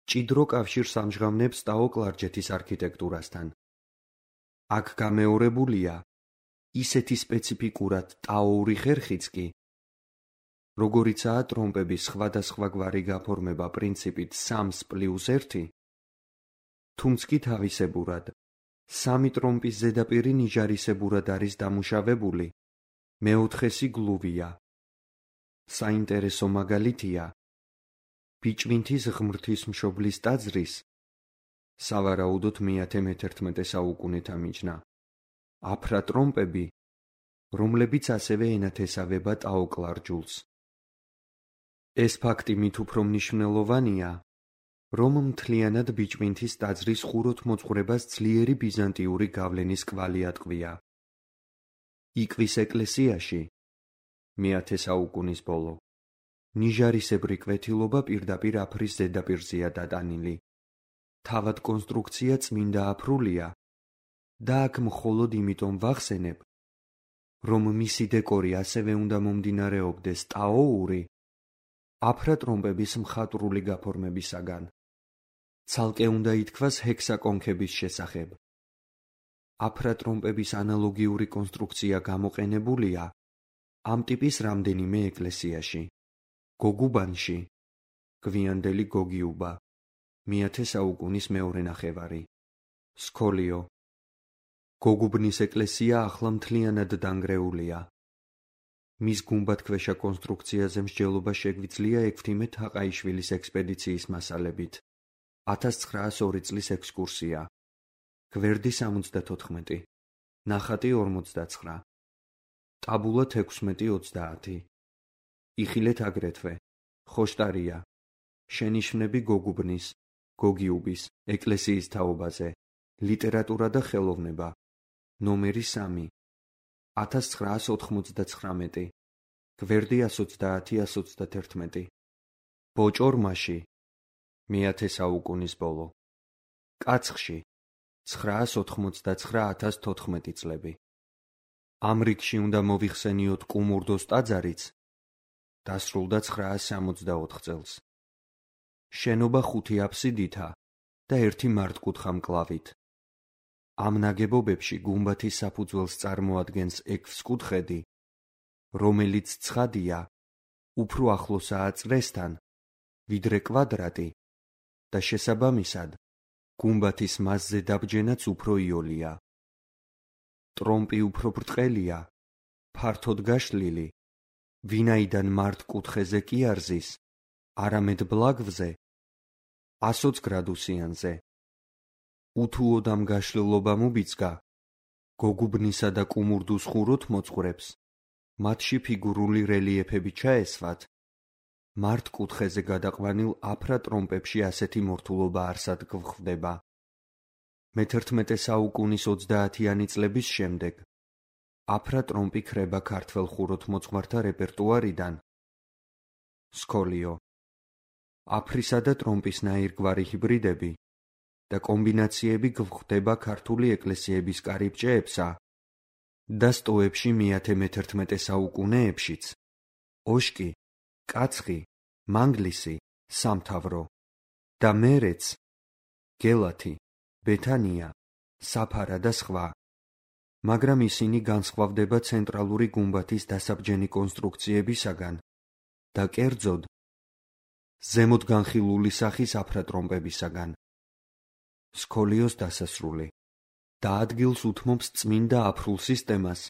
ჭიდრო კავშირს ამჟღავნებს ტაო-კლარჯეთის არქიტექტურასთან. აქ გამეორებულია ისეთი სპეციფიკურად ტაოური ხერხიც კი, როგორიცაა ტრომპების სხვადასხვაგვარი გაფორმება პრინციპით 3+1, თუმც კი თავისებურად, 3 ტრომპის ზედაპირი ნიჟარისებურად არის დამუშავებული, მე-4-ესი გლუვია. საინტერესო მაგალითია ბიჭვინთის ღმრთისმშობლის ტაძრის, სავარაუდოდ მე-11 საუკუნეთა მიჯნა, აფრა-ტრომპები, რომლებიც ასევე ენათესავება ტაო-კლარჯულს. ეს ფაქტი მით უფრო მნიშვნელოვანია, რომ მთლიანად ბიჭვინთის ტაძრის ხუროთმოძღვრებას ძლიერი ბიზანტიური გავლენის კვალი ატყვია. იკვის ეკლესიაში მე-10 საუკუნის ბოლო ნიჟარისებრი კვეთილობა პირდაპირ აფრის ზედაპირზეა დატანილი. თავად კონსტრუქცია წმინდა აფრულია და აქ მხოლოდ იმიტომ ვახსენებ, რომ მისი დეკორი ასევე უნდა მომდინარეობდეს ტაოური, აფრა-ტრომპების მხატვრული გაფორმებისაგან. ცალკე უნდა ითქვას ჰექსაკონქების შესახებ. აფრა-ტრომპების ანალოგიური კონსტრუქცია გამოყენებულია ამ ტიპის რამდენიმე ეკლესიაში. გოგუბანში, გვიანდელი გოგიუბა, მე-10 საუკუნის მეორე ნახევარი. სქოლიო. გოგუბნის ეკლესია ახლა მთლიანად დანგრეულია. მის გუმბათქვეშა კონსტრუქციაზე მსჯელობა შეგვიძლია ექვთიმე თაყაიშვილის ექსპედიციის მასალებით. 1902 წლის ექსკურსია. გვერდი 74, ნახატი 49, ტაბულა 16-30. იხილეთ აგრეთვე ხოშტარია, შენიშვნები გოგუბნის, გოგიუბის, ეკლესიის თაობაზე, ლიტერატურა და ხელოვნება, ნომერი 3, 1999, გვერდი 130-131. ბოჭორმაში, მე-10 საუკუნის ბოლო. კაცხში, 999-1014 წლები. ამ რიგში უნდა მოვიხსენიოთ კუმურდოს ტაძარიც, დასრულდა 964 წელს. შენობა 5 აფსიდითა და 1 მართკუთხა მკლავით. ამ ნაგებობებში გუმბათის საფუძველს წარმოადგენს ექვსკუთხედი, რომელიც ცხადია, უფრო ახლოსაა წრესთან, ვიდრე კვადრატი და შესაბამისად, გუმბათის მასზე დაბჯენაც უფრო იოლია. ტრომპი უფრო ბრტყელია, ფართოდ გაშლილი, ვინაიდან მართკუთხედზე კი არ ზის, არამედ ბლაგვზე, 120 გრადუსიანზე. უთუოდამ გაშლილობამ უბიძგა გოგუბნისა და კუმურდოს ხუროთმოძღვრებს, მათში ფიგურული რელიეფები ჩაესვათ, მართკუთხედზე გადაყვანილ აფრა-ტრომპებში ასეთი მორთულობა არსად გვხვდება. მე-11 საუკუნის 30-იანი წლების შემდეგ აფრა-ტრომპი ქრება ქართველ ხუროთმოძღვართა რეპერტუარიდან. სქოლიო. აფრისა და ტრომპის ნაირგვარი ჰიბრიდები და კომბინაციები გვხვდება ქართული ეკლესიების კარიბჭეებსა და სტოებში მე-11 საუკუნეებშიც. ოშკი, კაცხი, მანგლისი, სამთავრო და მერეც გელათი, ბეთანია, საფარა და სხვა. მაგრამ ისინი განსხვავდება ცენტრალური გუმბათის დასაბჯენი კონსტრუქციებისაგან და კერძოდ ზემოთ განხილული სახის აფრა-ტრომპებისაგან. სქოლიოს დასასრული და ადგილს უთმობს წმინდა აფრულ სისტემას,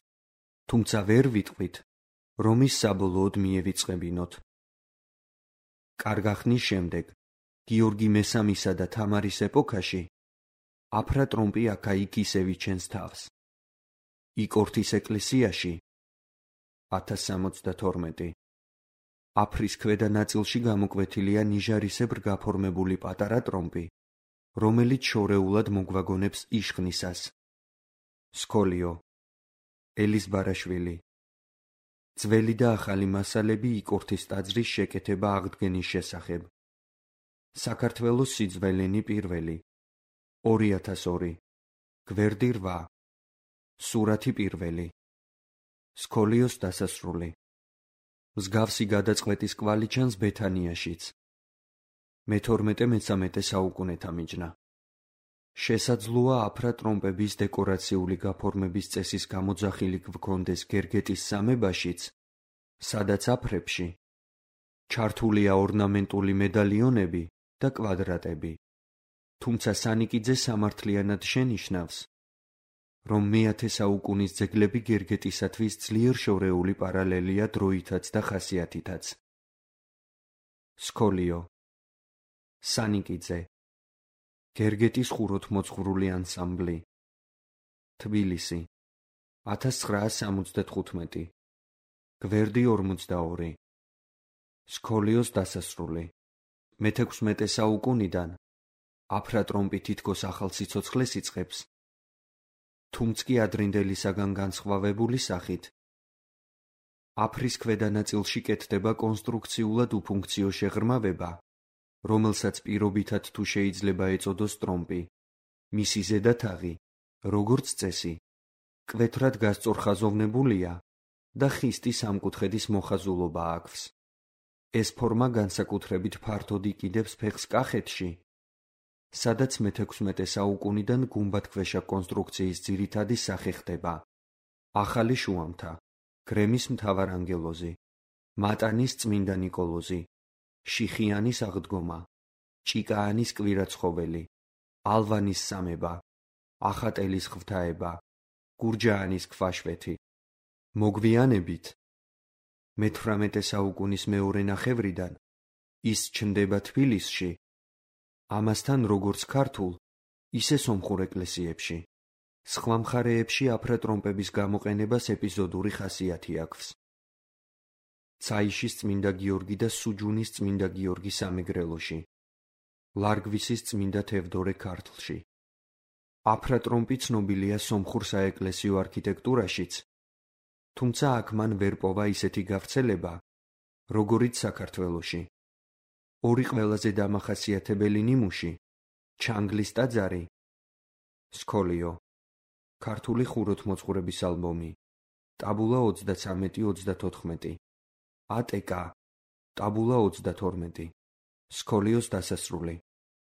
თუმცა ვერ ვიტყვით, რომ ის საბოლოოდ მიევიწყებინოთ. კარგახნის შემდეგ, გიორგი მესამისა და თამარის ეპოქაში, აფრა-ტრომპი აქა-იქ ისევ იჩენს თავს. იკორთის ეკლესიაში 1062. აფრის ქვედა ნაწილში გამოკვეთილია ნიჟარისებრ გაფორმებული პატარა ტრომპი, რომელიც შორეულად მოგვაგონებს იშხნისას. სქოლიო. ელის ბარაშვილი. ძველი და ახალი მასალები იკორთის ტაძრის შეკეთება აღდგენის შესახებ. საქართველოს სიძველენი პირველი 2002 გვერდი 8 სურათი პირველი სკოლიოს დასასრული. მსგავსი გადაწყვეტის კვალი ჩანს ბეთანიაშიც. მე-12-13 საუკუნეთა მიჯნა. შესაძლოა აფრა ტრომპების დეკორაციული გაფორმების წესის გამოძახილი გვქონდეს გერგეტის სამებაშიც, სადაც აფრებში ჩართულია ორნამენტული მედალიონები და კვადრატები. თუმცა სანიკიძე სამართლიანად შენიშნავს, რომ მე-10 საუკუნის ძეგლები გერგეტისათვის ძლიერ შორეული პარალელია დროითაც და ხასიათითაც. სკოლიო სანიკიძე გერგეტის ხუროთმოძღვრული ანსამბლი თბილისი 1975 გვერდი 42 სკოლიოს დასასრული. მე-16 საუკუნიდან აფრა ტრომპი თითქოს ახალ სიცოცხლეს იწყებს, თუმცა კი ადრინდელისაგან განსხვავებული სახით. აფრის ქვედა ნაწილში კეთდება კონსტრუქციულად უფუნქციო შეღრმავება, რომელსაც პირობითად თუ შეიძლება ეწოდოს ტრომპი. მისი ზედა თაღი, როგორც წესი, მკვეთრად გასწორხაზოვნებულია და ხისტი სამკუთხედის მოხაზულობა აქვს. ეს ფორმა განსაკუთრებით ფართოდ იყიდებს ფეხს კახეთში, სადაც მე-16 საუკუნიდან გუმბათქვეშა კონსტრუქციის ძირითადი სახე ხდება. ახალი შუამთა, გრემის მთავარანგელოზი, მატანის წმინდა ნიკოლოზი, შიხიანის აღდგომა, ჭიკაანის კვირაცხოველი, ალვანის სამება, ახატელის ღვთაება, გურჯაანის ქვაშვეთი. მოგვიანებით მე-18 საუკუნის მეორე ნახევრიდან ის ჩნდება თბილისში, ამასთან როგორც ქართულ, ისე სომხურ ეკლესიებში. სხვა მხარეებში აფრა ტრომპების გამოყენებას ეპიზოდური ხასიათი აქვს. ცაიშის წმინდა გიორგი და სუჯუნის წმინდა გიორგი სამეგრელოში, ლარგვისის წმინდა თევდორე ქართლში. აფრა ტრომპი ცნობილია სომხურ საეკლესიო არქიტექტურაშიც, თუმცა აქ მან ვერ პოვა ისეთი გავრცელება, როგორიც საქართველოში. ორი ყველაზე დამახასიათებელი ნიმუში, ჩანგლის ტაძარი, სკოლიო, ქართული ხუროთმოძღვრების ალბომი, ტაბულა 33-34, ატკ, ტაბულა 32, სკოლიოს დასასრული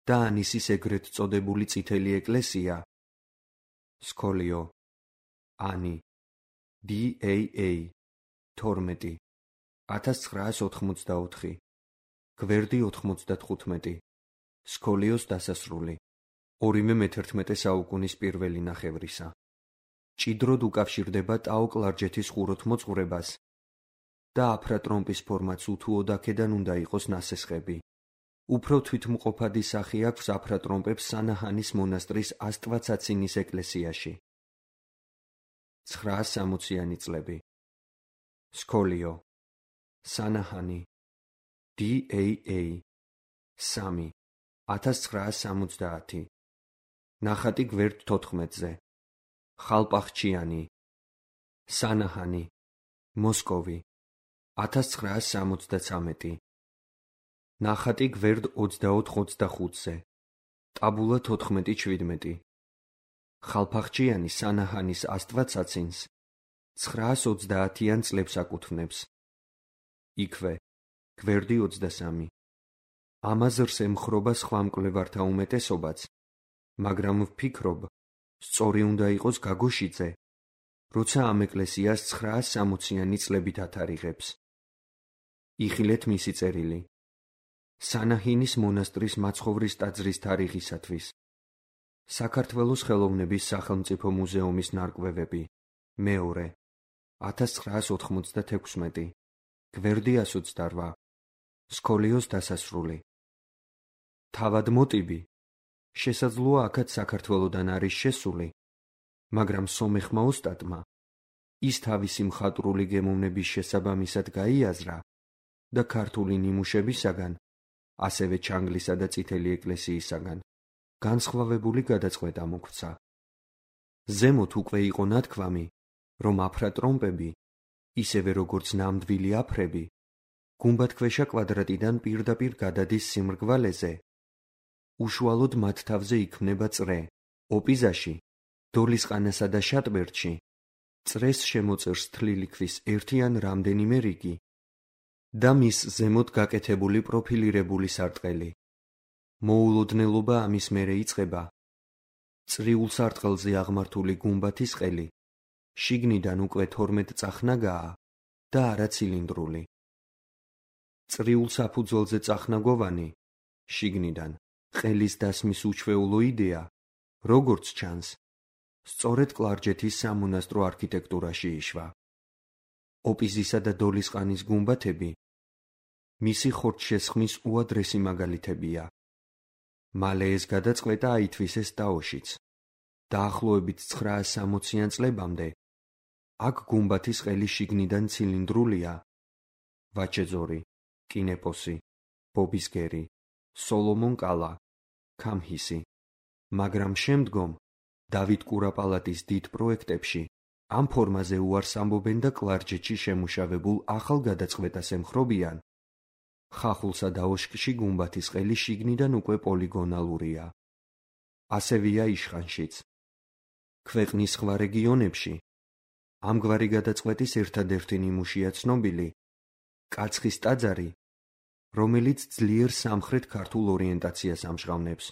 და ანისის ეგრეთ წოდებული წითელი ეკლესია, სკოლიო, ანი, DAA 12, 1984, გვერდი 95, სკოლიოს დასასრული, ორიმე მე-11 საუკუნის პირველი ნახევრისა. ჭიდროდ უკავშირდება ტაო-კლარჯეთის ხუროთმოძღვრებას და აფრა ტრომპის ფორმაც უთუოდ აქედან უნდა იყოს ნასესხები. უფრო თვითმყოფადი სახი აქვს აფრა ტრომპებს სანაჰანის მონასტრის ასტვაცაცინის ეკლესიაში. 960-იანი წლები. სკოლიო, სანაჰანი, DAA 3, 1970, ნახატი გვერდ 14-ზე. ხალპახჩიანი, სანაჰანი, მოსკოვი, 1973, ნახატი გვერდ 24-25-ზე. ტაბულა 14-17, ხალფახჩიანი სანაჰანის ასტვაცაცინს 930-იან წლებს აკუთვნებს. იქვე, გვერდი 23. ამაზრს ემხრობა სხვა მკვლევართა უმეტესობაც, მაგრამ ვფიქრობ, სწორი უნდა იყოს გაგოშიძე, როცა ამ ეკლესიას 960-იანი წლებით ათარიღებს. იხილეთ მისი წერილი. სანაჰინის მონასტრის მაცხოვრის ტაძრის თარიღისათვის. საქართველოს ხელოვნების სახელმწიფო მუზეუმის ნარკვევები. მეორე. 1996. გვერდი 128. სკოლიოს დასასრული. თავად მოტივი. შესაძლოა აქაც საქართველოდან არის შესული, მაგრამ სომეხმა ოსტატმა ის თავისი მხატვრული გემოვნების შესაბამისად გაიაზრა და ქართული ნიმუშებისაგან, ასევე ჩანგლისა და წითელი ეკლესიისაგან, განსხვავებული გადაწყვეტა მოგვცა. ზემოთ უკვე იყო ნათქვამი, რომ აფრა ტრომპები ისევე როგორც ნამდვილი აფრები, გუმბათქვეშა კვადრატიდან პირდაპირ გადადის სიმრგვალეზე. უშუალოდ მათ თავზე იქმნება წრე. ოპიზაში, დოლისყანასა და შატბერდში წრეს შემოწერს თლილი ქვის ერთი ან რამდენიმე რიგი და მის ზემოთ გაკეთებული პროფილირებული სარტყელი. მოულოდნელობა ამის მერე იწყება. წრიულ სარტყელზე აღმართული გუმბათის ყელი შიგნიდან უკვე 12 წახნაგაა და არა ცილინდრული. წრიულ საფუძველზე წახნაგოვანი, შიგნიდან ყელის დასმის უჩვეულო იდეა, როგორც ჩანს, სწორედ კლარჯეთის სამონასტრო არქიტექტურაში იშვა. ოპიზისა და დოლისყანის გუმბათები მისი ხორცშესხმის უადრესი მაგალითებია. მალე ეს გადაწყვეტა აითვისეს ტაოშიც. დაახლოებით 960-იან წლებამდე აქ გუმბათის ყელი შიგნიდან ცილინდრულია. ვაჩეძორი, კინეპოსი, ბობისგერი, სოლომონ კალა, ქამჰისი. მაგრამ შემდგომ დავით კურაპალატის დიდ პროექტებში ამ ფორმაზე უარს ამბობენ და კლარჯეთში შემუშავებულ ახალ გადაწყვეტას ემხრობიან. ხახულსა და ოშკში გუმბათის ყელი შიგნიდან უკვე პოლიგონალურია. ასევეა იშხანშიც. ქვეყნის სხვა რეგიონებში ამგვარი გადაწყვეტის ერთადერთი ნიმუშია ცნობილი კაცხის ტაძარი, რომელიც ძლიერ სამხრეთ ქართულ ორიენტაციას ამჟღავნებს.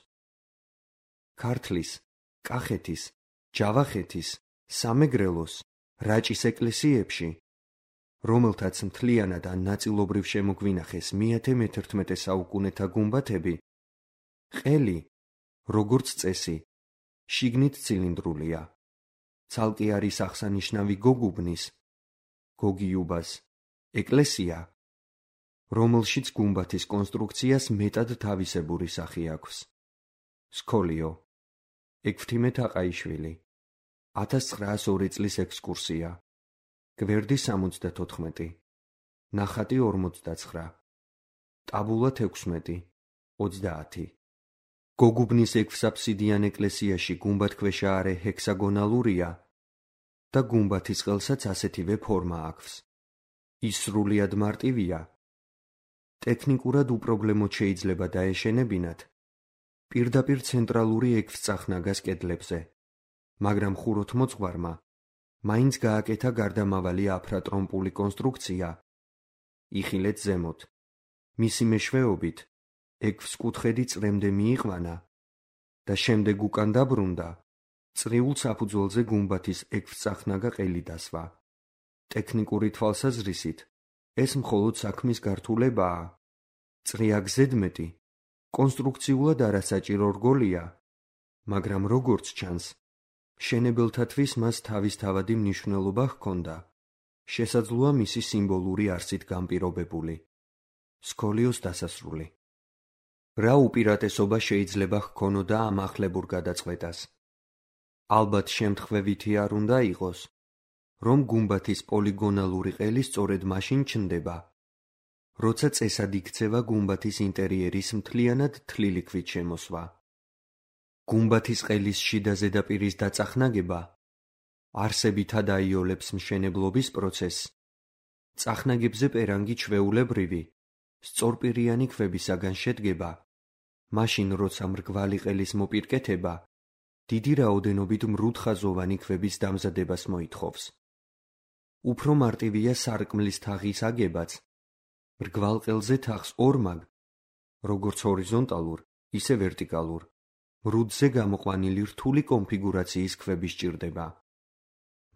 ქართლის, კახეთის, ჯავახეთის, სამეგრელოს, რაჭის ეკლესიებში, რომელთაც მთლიანად ან ნაწილობრივ შემოგვინახეს მე-11 საუკუნეთა გუმბათები, ყელი, როგორც წესი, შიგნით ცილინდრულია. ცალკე არის აღსანიშნავი გოგუბნის, გოგიუბას, ეკლესია, რომელშიც გუმბათის კონსტრუქციას მეტად თავისებური სახე აქვს. სქოლიო, ექვთიმე თაყაიშვილი, 1902 წლის ექსკურსია, გვერდი 74, ნახატი 49, ტაბულა 16, 30. გოგუბნის ექვსაფსიდიან ეკლესიაში გუმბათქვეშა არე ჰექსაგონალურია და გუმბათის ყელსაც ასეთივე ფორმა აქვს. ის სრულიად მარტივია. ტექნიკურად უპრობლემოდ შეიძლება დაეშენებინათ პირდაპირ ცენტრალური ექვსწახნაგას კედლებზე, მაგრამ ხუროთმოძღვარმა მაინც გააკეთა გარდამავალი აფრატრომპული კონსტრუქცია. იხილეთ ზემოთ. მისი მეშვეობით ექვსკუთხედი წრემდე მიიყვანა და შემდეგ უკან დაბრუნდა წრიულ საფუძველზე გუმბათის ექვსწახნაგა ყელი დასვა. ტექნიკური თვალსაზრისით ეს მხოლოდ საქმის გართულებაა. წრეა გზედმეტი კონსტრუქციულად არასაჭირო რგოლია, მაგრამ როგორც ჩანს, მშენებელთათვის მას თავისთავადი მნიშვნელობა ჰქონდა. შესაძლოა მისი სიმბოლური არსით განპირობებული. სქოლიოს დასასრული. რა უპირატესობა შეიძლება ჰქონოდა ამ ახლებურ გადაწყვეტას? ალბათ შემთხვევითი არ უნდა იყოს, რომ გუმბათის პოლიგონალური ყელი სწორედ მაშინ ჩნდება, როცა წესად იქცევა გუმბათის ინტერიერის მთლიანად თლილი ქვით შემოსვა. გუმბათის ყელის შიდა ზედაპირის დაწახნაგება არსებითად აიოლებს მშენებლობის პროცესს. წახნაგებზე პერანგი ჩვეულებრივი, სწორპირიანი ქვებისაგან შედგება, მაშინ როცა მრგვალი ყელის მოპირკეთება დიდი რაოდენობით მრუდხაზოვანი ქვების დამზადებას მოითხოვს. უფრო მარტივია სარკმლის თაღის აგებაც. მრგვალ ყელზე თაღს ორმაგ, როგორც ჰორიზონტალურ, ისე ვერტიკალურ, მრუდზე გამოყვანილი რთული კონფიგურაციის ქვები სჭირდება.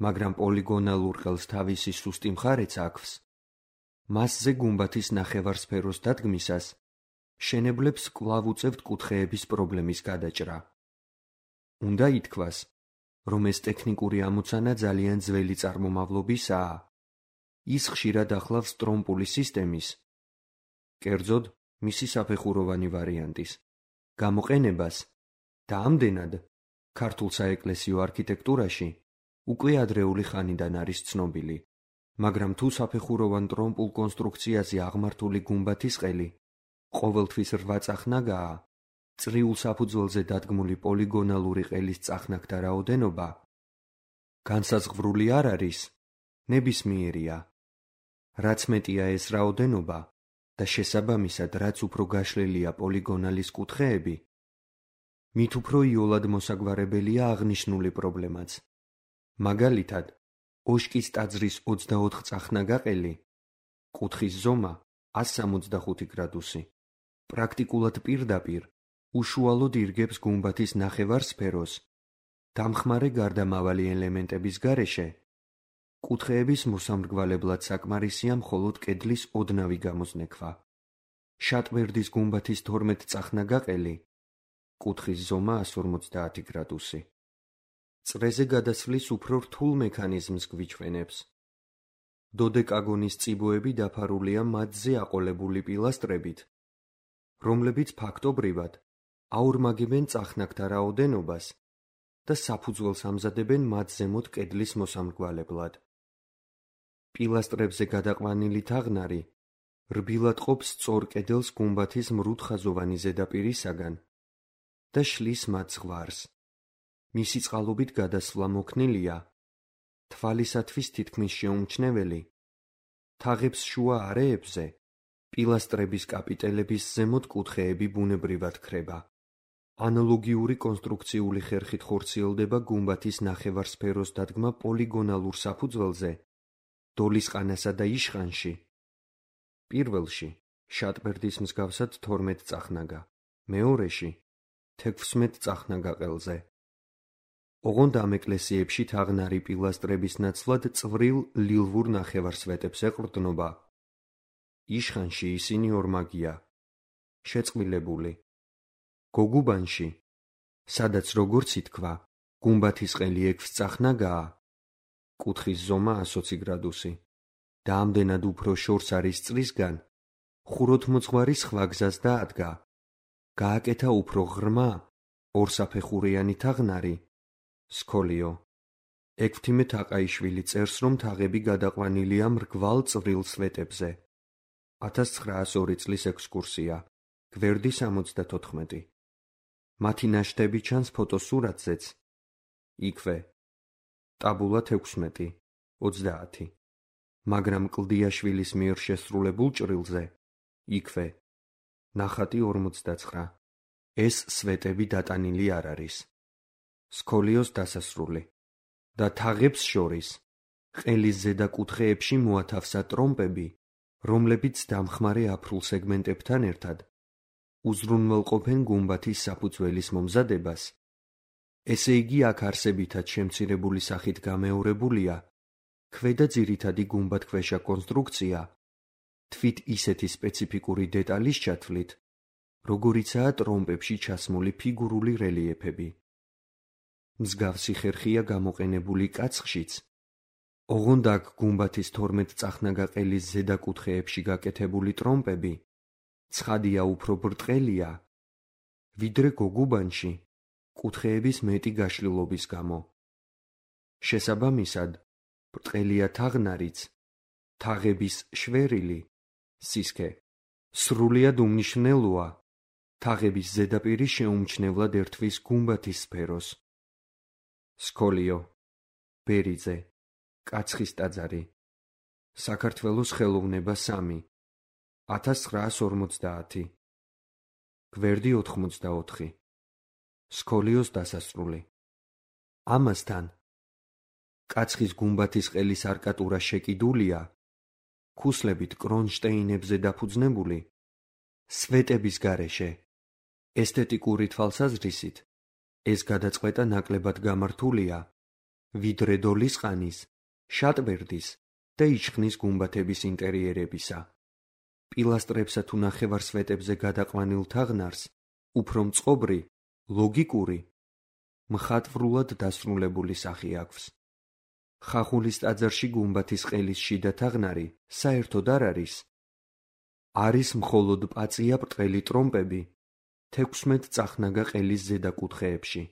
მაგრამ პოლიგონალურ ყელს თავისი სუსტი მხარეც აქვს. მასზე გუმბათის ნახევარსფეროს დადგმისას მშენებლებს კვლავ უწევთ კუთხეების პრობლემის გადაჭრა. უნდა ითქვას, რომ ეს ტექნიკური ამოცანა ძალიან ძველი წარმომავლობისაა. ის ხშირად ახლავს ტრომპული სისტემის, კერძოდ მისი საფეხუროვანი ვარიანტის, გამოყენებას და ამდენად ქართულ საეკლესიო არქიტექტურაში უკვე ადრეული ხანიდან არის ცნობილი. მაგრამ თუ საფეხუროვან ტრომპულ კონსტრუქციაზე აღმართული გუმბათის ყელი ყოველთვის 8 წახნაგაა, წრიულ საფუძველზე დადგმული პოლიგონალური ყელის წახნაგთა რაოდენობა განსაზღვრული არ არის, ნებისმიერია. რაც მეტია ეს რაოდენობა და შესაბამისად რაც უფრო გაშლილია პოლიგონალის კუთხეები, მით უფრო იოლად მოსაგვარებელია აღნიშნული პრობლემაც. მაგალითად, ოშკის ტაძრის 24 წახნაგაყელი, კუთხის ზომა 165 გრადუსი, პრაქტიკულად პირდაპირ უშუალოდ ირგებს გუმბათის ნახევარსფეროს, დამხმარე გარდამავალი ელემენტების გარეშე, კუთხეების მოსამრგვალებლად საკმარისია მხოლოდ კედლის ოდნავი გამოზნექვა. შატბერდის გუმბათის 12 წახნაგაყელი, კუთხის ზომა 150 გრადუსი. წრეზე გადასვლის უფრო რთულ მექანიზმს გვიჩვენებს. დოდეკაგონის წიბოები დაფარულია მათზე აყოლებული პილასტრებით, რომლებიც ფაქტობრივად აორმაგებენ წახნაგთა რაოდენობას და საფუძველს ამზადებენ მათ ზემოთ კედლის მოსამრგვალებლად. პილასტრებზე გადაყვანილი თაღნარი რბილად ყოფს სწორ კედელს გუმბათის მრუდხაზოვანი ზედაპირისაგან და შლის მათ ზღვარს. მისი წყალობით გადასვლა მოქნილია, თვალისათვის თითქმის შეუმჩნეველი, თაღებს შუა არეებზე პილასტრების კაპიტელების ზემოთ კუთხეები ბუნებრივად ქრება. ანალოგიური კონსტრუქციული ხერხით ხორციელდება გუმბათის ნახევარსფეროს დადგმა პოლიგონალურ საფუძველზე, დოლისყანასა და იშხანში. პირველში შატბერდის მსგავსად 12 წახნაგა, მეორეში 16 წახნაგაყელზე. ოღონდ ამ ეკლესიებში თაღნარი პილასტრების ნაცვლად წვრილ ლილვურ ნახევარსვეტებს ეყრდნობა. იშხანში ისინი ორმაგია, შეწყვილებული. გოგუბანში, სადაც როგორც ითქვა, გუმბათის ყელი 6 წახნაგაა, კუთხის ზომა 120 გრადუსი და ამდენად უფრო შორს არის წრისგან, ხუროთმოძღვარი სხვა გზას დაადგა. გააკეთა უფრო ღრმა, ორსაფეხურიანი თაღნარი, სქოლიო. ექვთიმე თაყაიშვილი წერს, რომ თაღები გადაყვანილია მრგვალ წვრილ სვეტებზე. 1902 წლის ექსკურსია, გვერდი 74. მათი ნაშთები ჩანს ფოტოსურათზეც. იქვე. ტაბულა 16, 30. მაგრამ კლდიაშვილის მიერ შესრულებულ ჭრილზე, იქვე. ნახატი 49. ეს სვეტები დატანილი არ არის. სქოლიოს დასასრული. და თაღებს შორის, ყელის ზედა კუთხეებში მოათავსა ტრომპები, რომლებიც დამხმარე აფრულ სეგმენტებთან ერთად უზრუნველყოფენ გუმბათის საფუძველის მომზადებას. ესე იგი აქ არსებითად შემცირებული სახით გამეორებულია ქვედა ძირითადი გუმბათქვეშა კონსტრუქცია, თვით ისეთი სპეციფიკური დეტალის ჩათვლით, როგორიცაა ტრომპებში ჩასმული ფიგურული რელიეფები. მსგავსი ხერხია გამოყენებული კაცხშიც. ოღონდ აქ გუმბათის 12 წახნაგაყელის ზედა კუთხეებში გაკეთებული ტრომპები ცხადია უფრო ბრტყელია, ვიდრე გოგუბანში კუთხეების მეტი გაშლილობის გამო. შესაბამისად, ბრტყელია თაღნარიც, თაღების შვერილი, სისქე, სრულიად უმნიშვნელოა, თაღების ზედაპირი შეუმჩნევლად ერთვის გუმბათის სფეროს. სქოლიო, ბერიძე, კაცხის ტაძარი, საქართველოს ხელოვნება 3, 1950. გვერდი 84. სქოლიოს დასასრული. ამასთან, კაცხის გუმბათის ყელის არკატურა შეკიდულია, ქუსლებით კრონშტეინებზე დაფუძნებული, სვეტების გარეშე. ესთეტიკური თვალსაზრისით, ეს გადაწყვეტა ნაკლებად გამართულია, ვიდრე დოლისყანის, შატბერდის და იჩხნის გუმბათების ინტერიერებისა. პილასტრებსა თუ ნახევარსვეტებზე გადაყვანილ თაღნარს უფრო მწყობრი, ლოგიკური, მხატვრულად დასრულებული სახე აქვს. ხახულის ტაძარში გუმბათის ყელის შიდა თაღნარი საერთოდ არ არის. არის მხოლოდ პაწია ბრტყელი ტრომპები 16 წახნაგა ყელის ზედა კუთხეებში.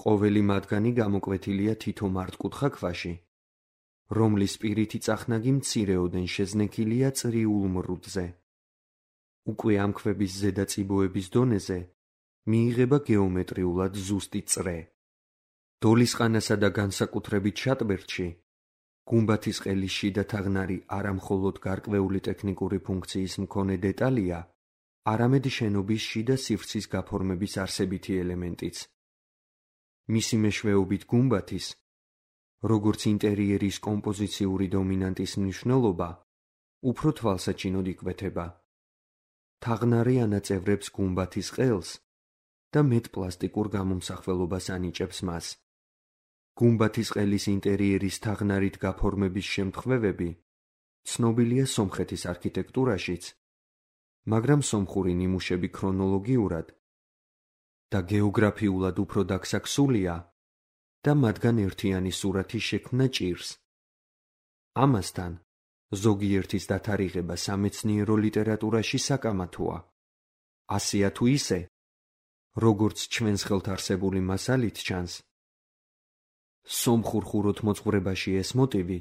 ყოველი მათგანი გამოკვეთილია თითო მართკუთხა ქვაში, რომლის პირითი წახნაგი მცირეოდენ შეზნექილია წრიულ მრუდზე. უკვე ამ ქვების ზედა წიბოების დონეზე მიიღება გეომეტრიულად ზუსტი წრე. დოლისყანასა და განსაკუთრებით შატბერდში გუმბათის ყელის შიდა თაღნარი არა მხოლოდ გარკვეული ტექნიკური ფუნქციის მქონე დეტალია, არამედ შენობის შიდა სივრცის გაფორმების არსებითი ელემენტიც. მისი მეშვეობით გუმბათის, როგორც ინტერიერის კომპოზიციური დომინანტის მნიშვნელობა, უფრო თვალსაჩინოდ იკვეთება. თაღნარი ანაწევრებს გუმბათის ყელს და მეტ პლასტიკურ გამომსახველობას ანიჭებს მას. გუმბათის ყელის ინტერიერის თაღნარით გაფორმების შემთხვევები ცნობილია სომხეთის არქიტექტურაშიც, მაგრამ სომხური ნიმუშები ქრონოლოგიურად და გეოგრაფიულად უფრო დაკსაქსულია და მათგან ერთიანი სურათი შექმნა ჭირს. ამასთან, ზოგიერთის დათარიღება სამეცნიერო ლიტერატურაში საკამათოა. ასეა თუ ისე, როგორც ჩვენს ხელთ არსებული მასალით ჩანს, სომხურ ხუროთმოძღვრებაში ეს მოტივი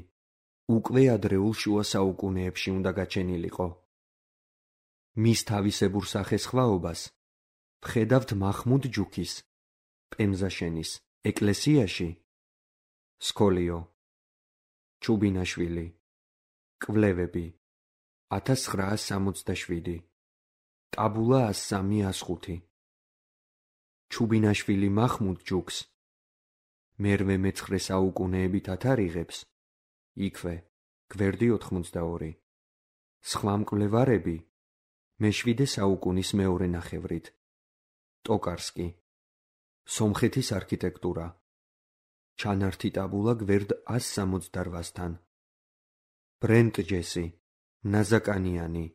უკვე ადრეულ შუა საუკუნეებში უნდა გაჩენილიყო. მის თავისებურ სახესხვაობას ვხედავთ მაჰმუდ ჯუქის, პემზაშენის ეკლესიაში, სკოლიო, ჩუბინაშვილი, კვლევები, 1967, ტაბულა 103-105. ჩუბინაშვილი მაჰმუდ ჯუქს მე-19 საუკუნეებით ათარიღებს, იქვე, გვერდი 82. სხვა მკვლევარები მე-7 საუკუნის მეორე ნახევრით. ტოკარსკი, სომხეთის არქიტექტურა, ჩანართი ტაბულა გვერდ 168-თან. ბრენტჯესი, ნაზაკანიანი,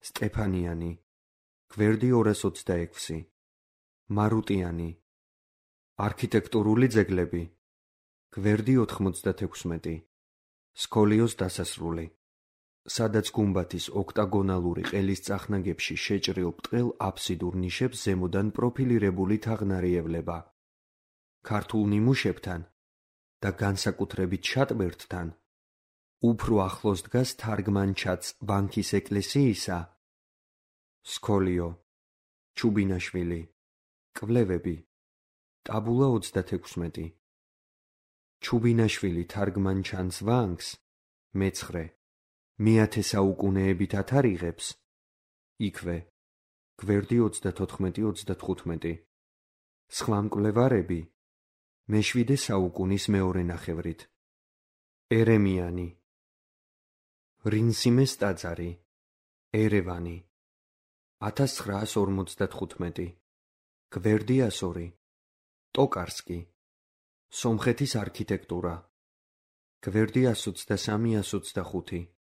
სტეფანიანი, გვერდი 226. მარუტიანი, არქიტექტურული ძეგლები, გვერდი 96. სკოლიოს დასასრული, სადაც გუმბათის ოქტაგონალური ყელის წახნაგებში შეჭრილ ბრტყელ აფსიდურ ნიშებს ზემოდან პროფილირებული თაღნარი ევლება. ქართულ ნიმუშებთან და განსაკუთრებით შატბერდთან უფრო ახლოს დგას თარგმანჩაც ბანქის ეკლესიისა, სკოლიო, ჩუბინაშვილი, კვლევები, ტაბულა 36. ჩუბინაშვილი თარგმანჩანს ვანგს მე-9 საუკუნეებით ათარიღებს, იქვე, გვერდი 34-35. სხვა მკვლევარები მე-7 საუკუნის მეორე ნახევრით. ერემიანი, რინსიმეს ტაძარი, ერევანი, 1955. გვერდი 102. ტოკარსკი, სომხეთის არქიტექტურა, გვერდი 123-125.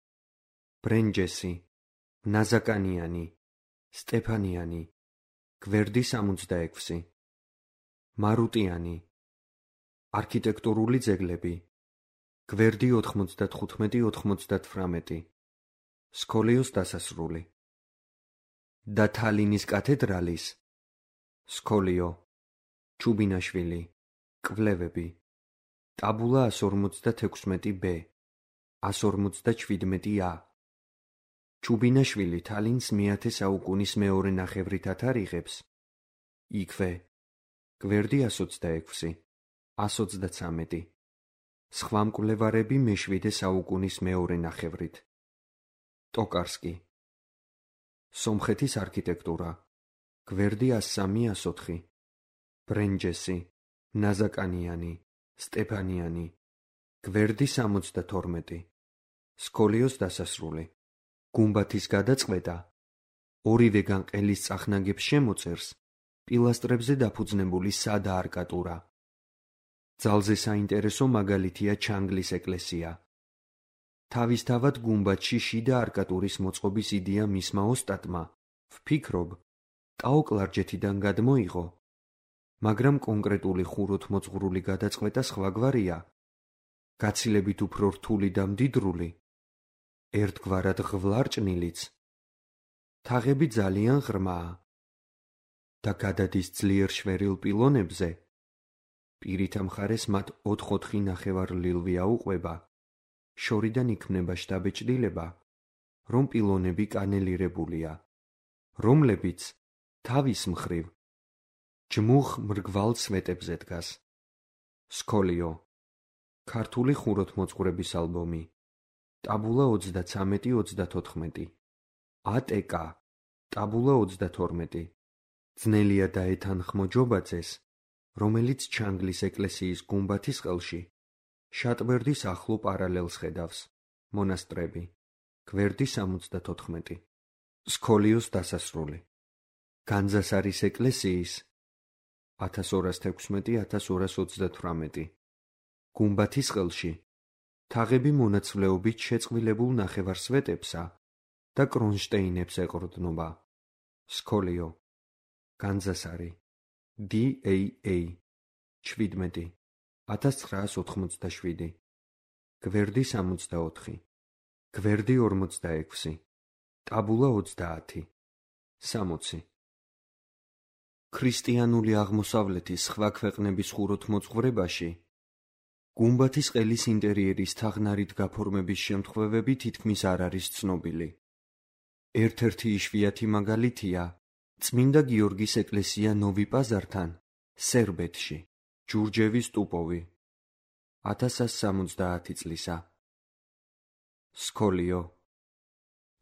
ბრენჯესი, ნაზაკანიანი, სტეფანიანი, გვერდი 66. მარუტიანი, არქიტექტურული ძეგლები, გვერდი 95-98. სკოლიოს დასასრული და თალინის კათედრალის, სკოლიო, ჩუბინაშვილი, კვლევები, ტაბულა 156-ბ, 157-ა. ჩუბინაშვილი თალინს მე-10 საუკუნის მეორე ნახევრით ათარიღებს, იქვე, გვერდი 126, 133. სხვა მკვლევარები მე-7 საუკუნის მეორე ნახევრით. ტოკარსკი, სომხეთის არქიტექტურა, გვერდი 103-104. ბრენჯესი, ნაზაკანიანი, სტეფანიანი, გვერდი 72. სკოლიოს დასასრული. გუმბათის გადაწყვეტა ორივეგან ყელის წახნაგებს შემოწერს პილასტრებზე დაფუძნებული სადა არკატურა. ძალზე საინტერესო მაგალითია ჩანგლის ეკლესია. თავისთავად გუმბათში შიდა არკატურის მოწყობის იდეა მისმა ოსტატმა, ვფიქრობ, ტაო-კლარჯეთიდან გადმოიღო, მაგრამ კონკრეტული ხუროთმოძღვრული გადაწყვეტა სხვაგვარია, გაცილებით უფრო რთული და მდიდრული, ერთგვარად ღვარჭნილიც. თაღები ძალიან ღრმაა და გადადის ძლიერ შვერილ პილონებზე, პირით ამხარეს მათ 4-4 ნახევარლილვი აუყვება, შორიდან იქმნება შთაბეჭდილება, რომ პილონები კანელირებულია, რომლებიც თავის მხრივ ჯმუხ მრგვალ სვეტებზე დგას. სკოლიო, ქართული ხუროთმოძღვრების ალბომი, ტაბულა 33-34, ATK, ტაბულა 32, ძნელია დაეთანხმო ჯობაძეს, რომელიც ჩანგლის ეკლესიის გუმბათის ყელში, შატბერდის ახლო პარალელს ხედავს, მონასტრები, გვერდი 74, სქოლიოს დასასრული, განძასარის ეკლესიის 1216-1228, გუმბათის ყელში, თაღები მონაცვლეობით შეწყვილებულ ნახევარსვეტებსა და კრონშტეინებს ეყრდნობა, სქოლიო, განძასარი, DAA, 17, 1987, გვერდი 64, გვერდი 46, ტაბულა 30, 60. ქრისტიანული აღმოსავლეთის სხვა ქვეყნების ხუროთმოძღვრებაში გუმბათის ყელის ინტერიერის თაღნარით გაფორმების შემთხვევები თითქმის არ არის ცნობილი. ერთ-ერთი იშვიათი მაგალითია წმინდა გიორგის ეკლესია ნოვი-პაზართან, სერბეთში, ჯურჯევის ტუპოვი, 1170 წლისა. სქოლიო,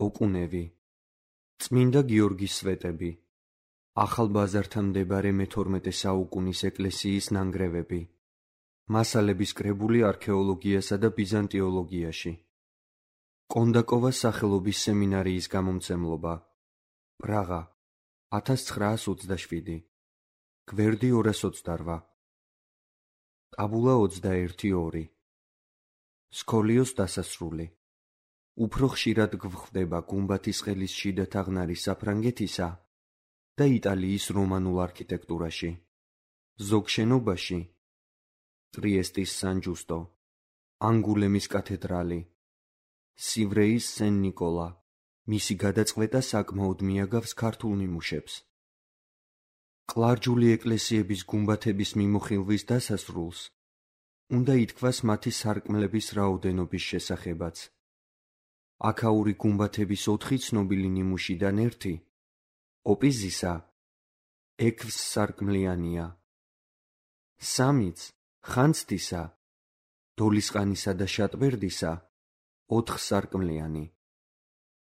ოკუნევი, წმინდა გიორგის სვეტები, ახალბაზართან მდებარე მე-12 საუკუნის ეკლესიის ნანგრევები, მასალების კრებული არქეოლოგიასა და ბიზანტიოლოგიაში, კონდაკოვას სახელობის სემინარიის გამომცემლობა, პრაღა, 1927, გვერდი 228, ტაბულა 21-2, სქოლიოს დასასრული. უფრო ხშირად გვხვდება გუმბათის ყელის შიდა თაღნარი საფრანგეთისა და იტალიის რომანულ არქიტექტურაში. ზოგ შენობაში ტრიესტის სან-ჯუსტო, ანგულემის კათედრალი, სივრეის სენ-ნიკოლა, მისი გადაწყვეტა საკმაოდ მიაგავს ქართულ ნიმუშებს. კლარჯული ეკლესიების გუმბათების მიმოხილვის დასასრულს უნდა ითქვას მათი სარკმლების რაოდენობის შესახებაც. აქაური გუმბათების 4 ცნობილი ნიმუშიდან ერთი, ოპიზისა, 6 სარკმლიანია. სამიც, ხანძთისა, დოლისყანისა და შატბერდისა 4 სარკმლიანი.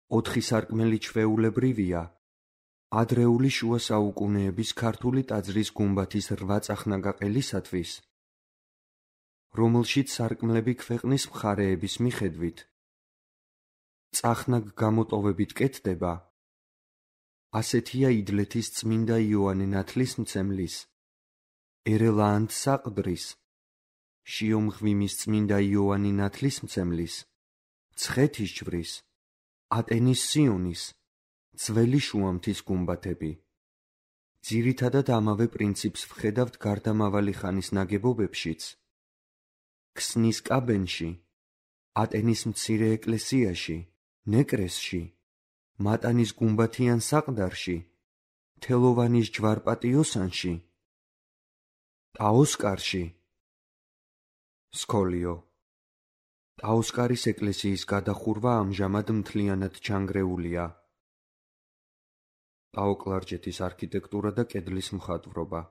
4 სარკმელი ჩვეულებრივია ადრეული შუა საუკუნეების ქართული ტაძრის გუმბათის 8 წახნაგაყელისათვის, რომელშიც სარკმლები ქვეყნის მხარეების მიხედვით წახნაგ გამოტოვებით კეთდება. ასეთია იდლეთის წმინდა იოანე ნათლისმცემლის, ერელაანთ საყდრის, შიომღვიმის წმინდა იოანე ნათლისმცემლის, მცხეთის ჯვრის, ატენის სიონის, ძველი შუამთის გუმბათები. ძირითადად ამავე პრინციპს ვხედავთ გარდამავალი ხანის ნაგებობებშიც, ქსნის კაბენში, ატენის მცირე ეკლესიაში, ნეკრესში, მატანის გუმბათიან საყდარში, თელოვანის ჯვარპატიოსანში, ტაოსკარში. სქოლიო, ტაოსკარის ეკლესიის გადახურვა ამჟამად მთლიანად ჩანგრეულია. ტაოკლარჯეთის არქიტექტურა და კედლის მხატვრობა,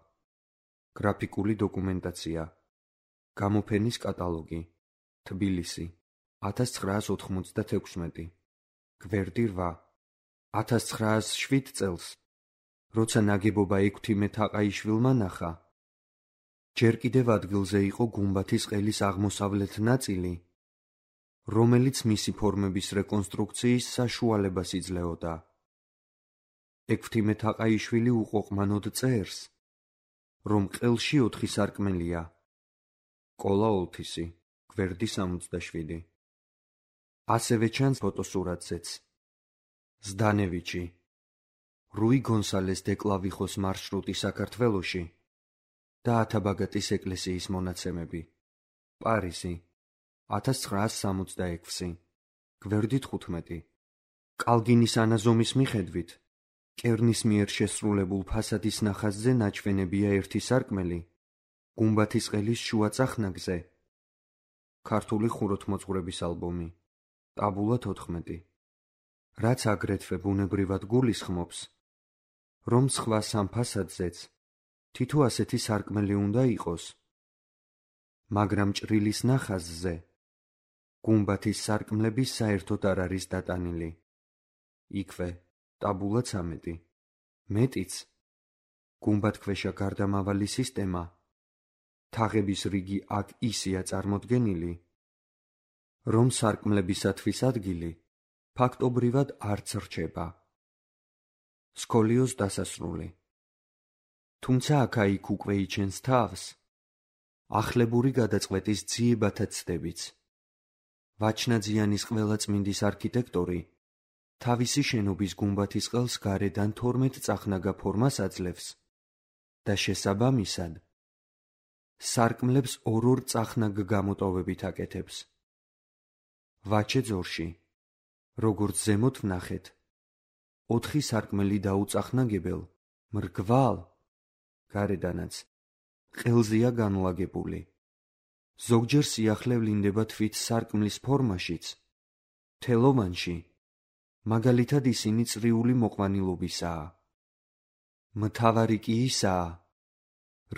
გრაფიკული დოკუმენტაცია, გამოფენის კატალოგი, თბილისი, 1996, გვერდი 8, 1907 წელს, როცა ნაგებობა ექვთიმე თაყაიშვილმა ნახა, ჯერ კიდევ ადგილზე იყო გუმბათის ყელის აღმოსავლეთ ნაწილი, რომელიც მისი ფორმების რეკონსტრუქციის საშუალებას იძლეოდა. ექვთიმე თაყაიშვილი უყოყმანოდ წერს, რომ ყელში 4 სარკმელია. კოლა ოლთისი, გვერდი 67. ასევე ჩანს ფოტოსურათზეც. ზდანევიჩი, რუი გონსალეს დე კლავიხოს მარშრუტი საქართველოში და ათაბაგატის ეკლესიის მონაცემები. პარიზი, 1966, გვერდი 15. კალგინის ანაზომის მიხედვით, კერნის მიერ შესრულებულ ფასადის ნახაზზე ნაჩვენებია ერთი სარკმელი, გუმბათის ყელის შუა წახნაგზე. ქართული ხუროთმოძღვრების ალბომი, ტაბულა 14, რაც აგრეთვე ბუნებრივად გულისხმობს, რომ სხვა სამ ფასადზეც თითო ასეთი სარკმელი უნდა იყოს. მაგრამ ჭრილის ნახაზზე გუმბათის სარკმლები საერთოდ არ არის დატანილი. იქვე ტაბულა 13, მეტიც, გუმბათქვეშა გარდამავალი სისტემა, თაღების რიგი აქ ისეა წარმოდგენილი, რომ სარკმლებისათვის ადგილი ფაქტობრივად არც რჩება. სკოლიოს დასასრული. თუმცა აქა-იქ უკვე იჩენს თავს ახლებური გადაწყვეტის ძიებათა ცდებიც. ვაჩნაძიანის ყველაწმინდის არქიტექტორი თავისი შენობის გუმბათის ყელს გარედან 12 წახნაგა ფორმას აძლევს და შესაბამისად სარკმლებს ორ-ორ წახნაგ გამოტოვებით აკეთებს. ვაჩე ძორში, როგორც ზემოთ ვნახეთ, 4 სარკმელი დაუწახნაგებელ, მრგვალ, გარედანაც ყელზეა განლაგებული. ზოგჯერ სიახლე ვლინდება თვით სარკმლის ფორმაშიც, თელოვანში, მაგალითად ისინი წრიული მოყვანილობისაა. მთავარი კი ისაა,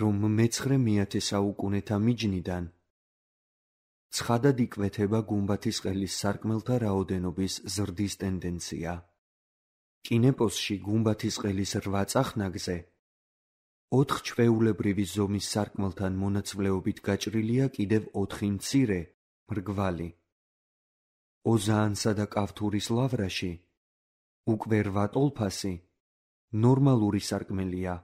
რომ მე-9 საუკუნეთა მიჯნიდან ცხადად იკვეთება გუმბათის ყელის სარკმელთა რაოდენობის ზრდის ტენდენცია. კინეპოსში გუმბათის ყელის 8 წახნაგზე 4 ჩვეულებრივი ზომის სარკმელთან მონაცვლეობით გაჭრილია კიდევ 4 მცირე, მრგვალი. ოზაანსა და კავთურის ლავრაში უკვე 8 ტოლფასი ნორმალური სარკმელია.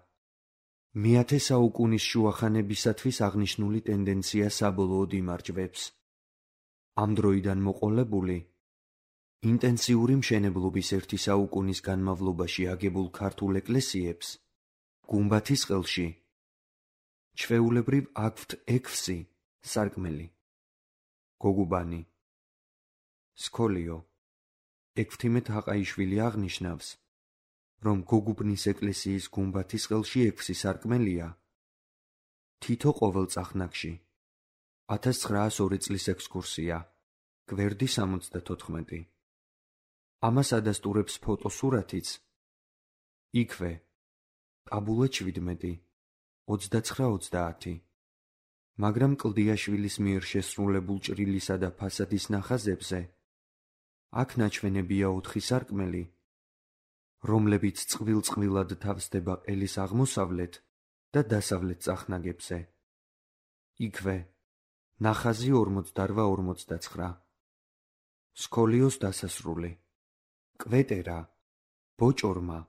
მე-10 საუკუნის შუახანებისათვის აღნიშნული ტენდენცია საბოლოოდ იმარჯვებს. ამ დროიდან მოყოლებული ინტენსიური მშენებლობის 1 საუკუნის განმავლობაში აგებულ ქართულ ეკლესიებს გუმბათის ყელში ჩვეულებრივ აქვთ 6 სარკმელი. გოგუბანი. სკოლიო. ექვთიმე თაყაიშვილი აღნიშნავს, რომ გოგუბნის ეკლესიის გუმბათის ყელში 6 სარკმელია. თითო ყოველ წახნაგში. 1902 წლის ექსკურსია. გვერდი 74. ამას ადასტურებს ფოტოსურათიც. იქვე ტაბულა 17, 29-30. მაგრამ კლდიაშვილის მიერ შესრულებულ ჭრილისა და ფასადის ნახაზებზე აქ ნაჩვენებია 4 სარკმელი, რომლებიც წყვილ-წყვილად თავსდება ყელის აღმოსავლეთ და დასავლეთ წახნაგებზე. იქვე ნახაზი 48-49. სკოლიოს დასასრული. კვეტერა, ბოჭორმა,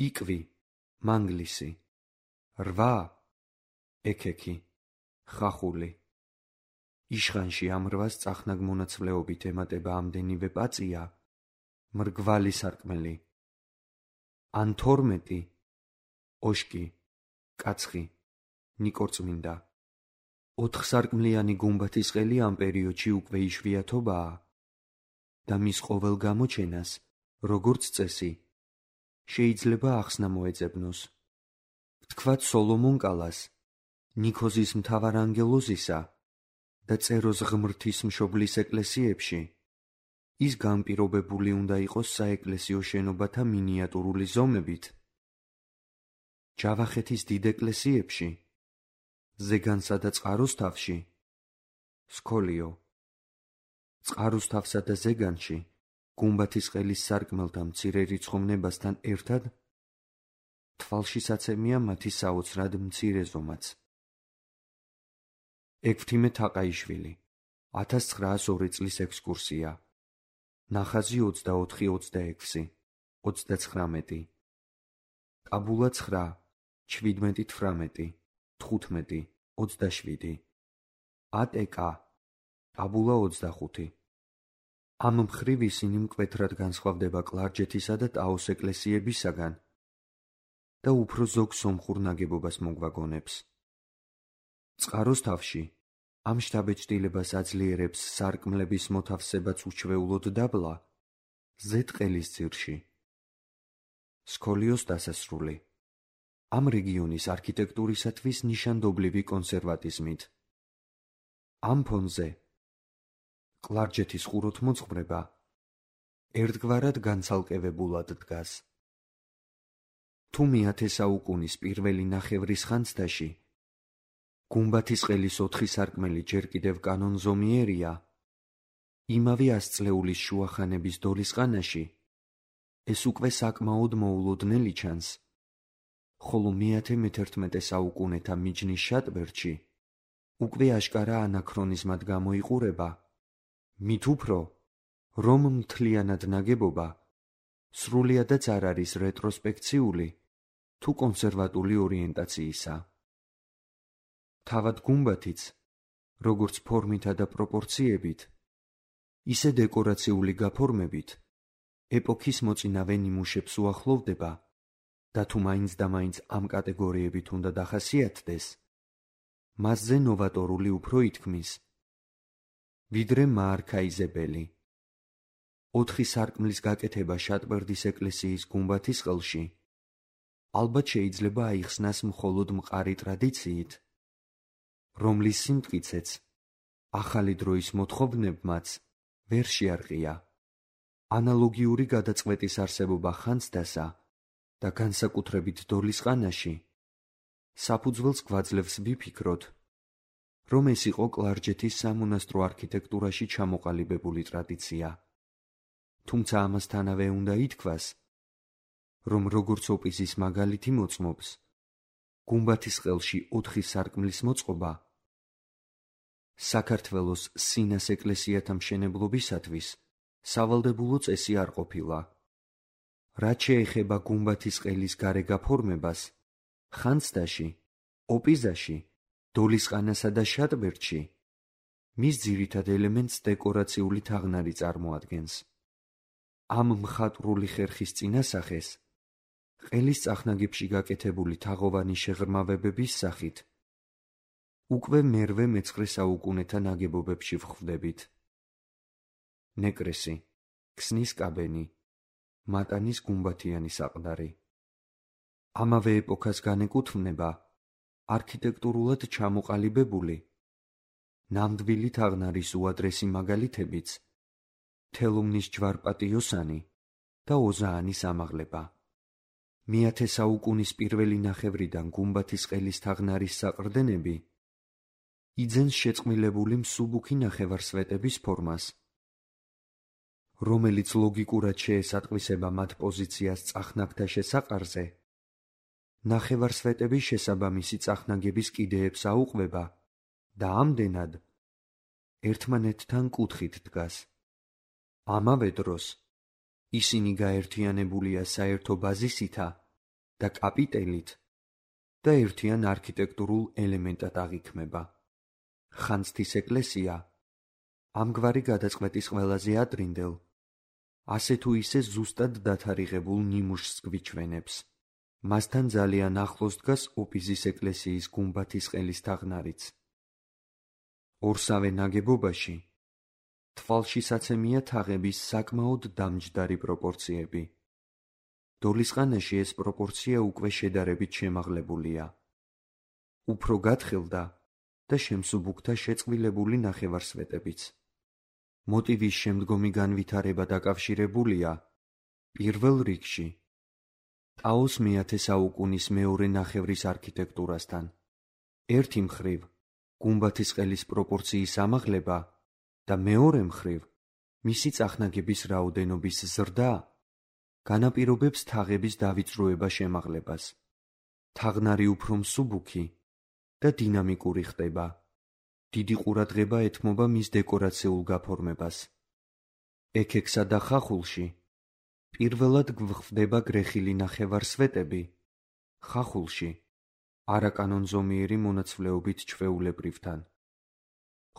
იკვი, მანგლისი. 8 ექექი, ხახული. იშხანში ამ 8 წახნაგ მონაცვლეობით ემატება ამდენივე პაწია, მრგვალი სარკმელი. ან 12 ოშკი, კაცხი, ნიკორწმინდა. 4 სარკმლიანი გუმბათის ყელი ამ პერიოდში უკვე იშვიათობაა და მის ყოველ გამოჩენას, როგორც წესი, შეიძლება ახსნა მოეძებნოს. ვთქვათ სოლომონ კალას, ნიქოზის მთავარანგელოზისა და წეროს ღმრთის მშობლის ეკლესიებში ის განპირობებული უნდა იყოს საეკლესიო შენობათა მინიატურული ზომებით. ჯავახეთის დიდ ეკლესიებში, ზეგანსა და წყაროსთავში, სკოლიო. წყაროსთავსა და ზეგანში გუმბათის ყელის სარკმელთა მცირე რიცხოვნებასთან ერთად თვალშისაცემია მათი საოცრად მცირე ზომაც. ექვთიმე თაყაიშვილი, 1902 წლის ექსკურსია. ნახაზი 24-26, 39. ტაბულა 9, 17-18, 15, 27. ატკ. ტაბულა 25. ამ მხრივ ისინი მკვეთრად განსხვავდება კლარჯეთისა და ტაოს ეკლესიებისაგან და უფრო ზოგ სომხურ ნაგებობას მოგვაგონებს. წყაროსთავში ამ შთაბეჭდილებას აძლიერებს სარკმლების მოთავსებაც უჩვეულოდ დაბლა ზედყელის ძირში. სკოლიოს დასასრული. ამ რეგიონის არქიტექტურისათვის ნიშანდობლივი კონსერვატიზმით. ამ ფონზე კლარჯეთის ხუროთმოძღვრება ერთგვარად განცალკევებულად დგას. თუ მე-10 საუკუნის პირველი ნახევრის ხანძთაში გუმბათის ყელის 4 სარკმელი ჯერ კიდევ კანონზომიერია, იმავე 100 წლეულის შუახანების დოლისყანაში ეს უკვე საკმაოდ მოულოდნელი ჩანს, ხოლო მე-11 საუკუნეთა მიჯნის შატბერდში უკვე აშკარა ანაქრონიზმად გამოიყურება, მით უფრო, რომ მთლიანად ნაგებობა სრულიადაც არ არის რეტროსპექციული თუ კონსერვატული ორიენტაციისა. თავად გუმბათიც, როგორც ფორმითა და პროპორციებით, ისე დეკორაციული გაფორმებით, ეპოქის მოწინავე ნიმუშებს უახლოვდება და თუ მაინც და მაინც ამ კატეგორიებით უნდა დახასიათდეს, მასზე ნოვატორული უფრო ითქმის, ვიდრე მაარქაიზებელი. 4 სარკმლის გაკეთება შატბერდის ეკლესიის გუმბათის ყელში ალბათ შეიძლება აიხსნას მხოლოდ მყარი ტრადიციით, რომლის სიმტკიცეც ახალი დროის მოთხოვნებმაც ვერ შეარყია. ანალოგიური გადაწყვეტის არსებობა ხანძთასა და განსაკუთრებით დოლისყანაში საფუძველს გვაძლევს ვიფიქროთ, რომ ეს იყო კლარჯეთის სამონასტრო არქიტექტურაში ჩამოყალიბებული ტრადიცია. თუმცა ამასთანავე უნდა ითქვას, რომ როგორც ოპიზის მაგალითი მოწმობს, გუმბათის ყელში 4 სარკმლის მოწყობა საქართველოს სინას ეკლესიათა მშენებლობისათვის სავალდებულო წესი არ ყოფილა. რაც შეეხება გუმბათის ყელის გარე გაფორმებას, ხანძთაში, ოპიზაში, დოლისყანასა და შატბერდში მის ძირითად ელემენტს დეკორაციული თაღნარი წარმოადგენს. ამ მხატვრული ხერხის წინასახეს ყელის წახნაგებში გაკეთებული თაღოვანი შეღრმავებების სახით უკვე მე-19 საუკუნეთა ნაგებობებში ვხვდებით. ნეკრესი, ქსნის კაბენი, მატანის გუმბათიანი საყდარი. ამავე ეპოქას განეკუთვნება არქიტექტურულად ჩამოყალიბებული ნამდვილი თაღნარის უადრესი მაგალითებიც თელუმნის ჯვარპატიოსანი და ოზაანის ამაღლება. მე-10 საუკუნის პირველი ნახევრიდან გუმბათის ყელის თაღნარის საყრდენები იძენს შეწყვილებული მსუბუქი ნახევარსვეტების ფორმას, რომელიც ლოგიკურად შეესატყვისება მათ პოზიციას წახნაგთა შესაყარზე, ნახევარსვეტების შესაბამისი წახნაგების კიდეებს აუყვება და ამდენად ერთმანეთთან კუთხით დგას. ამავე დროს ისინი გაერთიანებულია საერთო ბაზისითა და კაპიტელით და ერთიან არქიტექტურულ ელემენტად აღიქმება. ხანძთის ეკლესია ამგვარი გადაწყვეტის ყველაზე ადრინდელ, ასე თუ ისე ზუსტად დათარიღებულ ნიმუშს გვიჩვენებს. მასთან ძალიან ახლოს დგას ოპიზის ეკლესიის გუმბათის ყელის თაღნარიც. ორსავე ნაგებობაში თვალშისაცემია თაღების საკმაოდ დამჯდარი პროპორციები. დოლისყანაში ეს პროპორცია უკვე შედარებით შემაღლებულია. უფრო გათხილდა და შემსუბუქდა შეწყვილებული ნახევარსვეტებიც. მოტივის შემდგომი განვითარება დაკავშირებულია პირველ რიგში ტაოს მე-10 საუკუნის მეორე ნახევრის არქიტექტურასთან. ერთი მხრივ გუმბათის ყელის პროპორციის ამაღლება და მეორე მხრივ მისი წახნაგების რაოდენობის ზრდა განაპირობებს თაღების დავიწროება შემაღლებას. თაღნარი უფრო მსუბუქი და დინამიკური ხდება. დიდი ყურადღება ეთმობა მის დეკორაციულ გაფორმებას. ექექსა და ხახულში პირველად გვხვდება გრეხილი ნახევარსვეტები, ხახულში არაკანონზომიერი მონაცვლეობით ჩვეულებრივთან,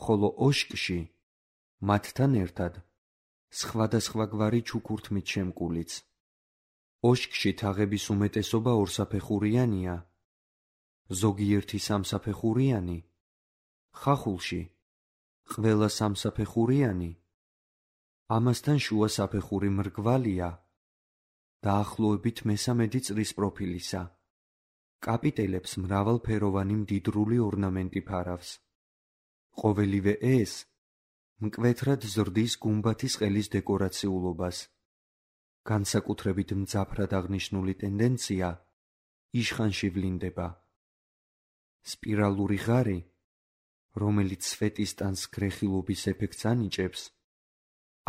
ხოლო ოშკში მათთან ერთად სხვადასხვაგვარი ჩუქურთმით შემკულიც. ოშკში თაღების უმეტესობა ორსაფეხურიანია, ზოგიერთი სამსაფეხურიანი, ხახულში ყველა სამსაფეხურიანი, ამასთან შუა საფეხური მრგვალია, დაახლოებით მესამედი წრის პროფილისა. კაპიტელებს მრავალფეროვანი მდიდრული ორნამენტი ფარავს. ყოველივე ეს მკვეთრად ზრდის გუმბათის ყელის დეკორაციულობას. განსაკუთრებით მძაფრად აღნიშნული ტენდენცია იშხანში ვლინდება. სპირალური ღარი, რომელიც სვეტის ტანს გრეხილობის ეფექტს ანიჭებს,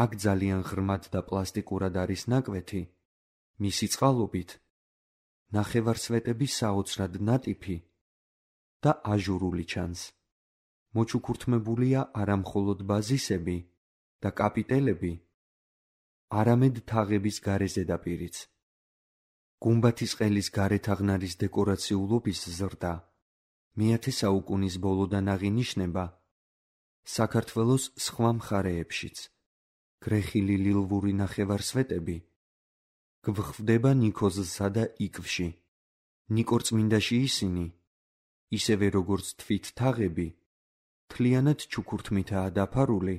აქ ძალიან ღრმად და პლასტიკურად არის ნაკვეთი, მისი წყალობით ნახევარსვეტები საოცრად ნატიფი და აჟურული ჩანს. მოჩუქურთმებულია არა მხოლოდ ბაზისები და კაპიტელები, არამედ თაღების გარე ზედაპირიც. გუმბათის ყელის გარეთაღნარის დეკორაციულობის ზრდა მე-10 საუკუნის ბოლოდან აღინიშნება საქართველოს სხვა მხარეებშიც. გრეხილი ლილვური ნახევარსვეტები გვხვდება ნიქოზსა და იკვში. ნიკორწმინდაში ისინი, ისევე როგორც თვით თაღები, მთლიანად ჩუქურთმითაა დაფარული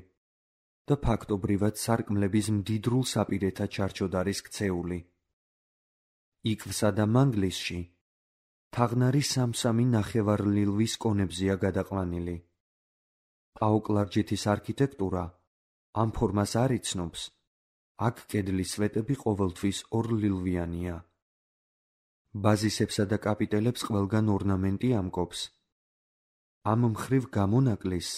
და ფაქტობრივად სარკმლების მდიდრულ საპირეთა ჩარჩოდ არის ქცეული. იკვსა და მანგლისში თაღნარი სამ-სამი ნახევარლილვის კონებზეა გადაყვანილი. პაოკლარჯეთის არქიტექტურა ამ ფორმას არ იცნობს, აქ კედლის სვეტები ყოველთვის ორლილვიანია. ბაზისებსა და კაპიტელებს ყველგან ორნამენტი ამკობს. ამ მხრივ გამონაკლისს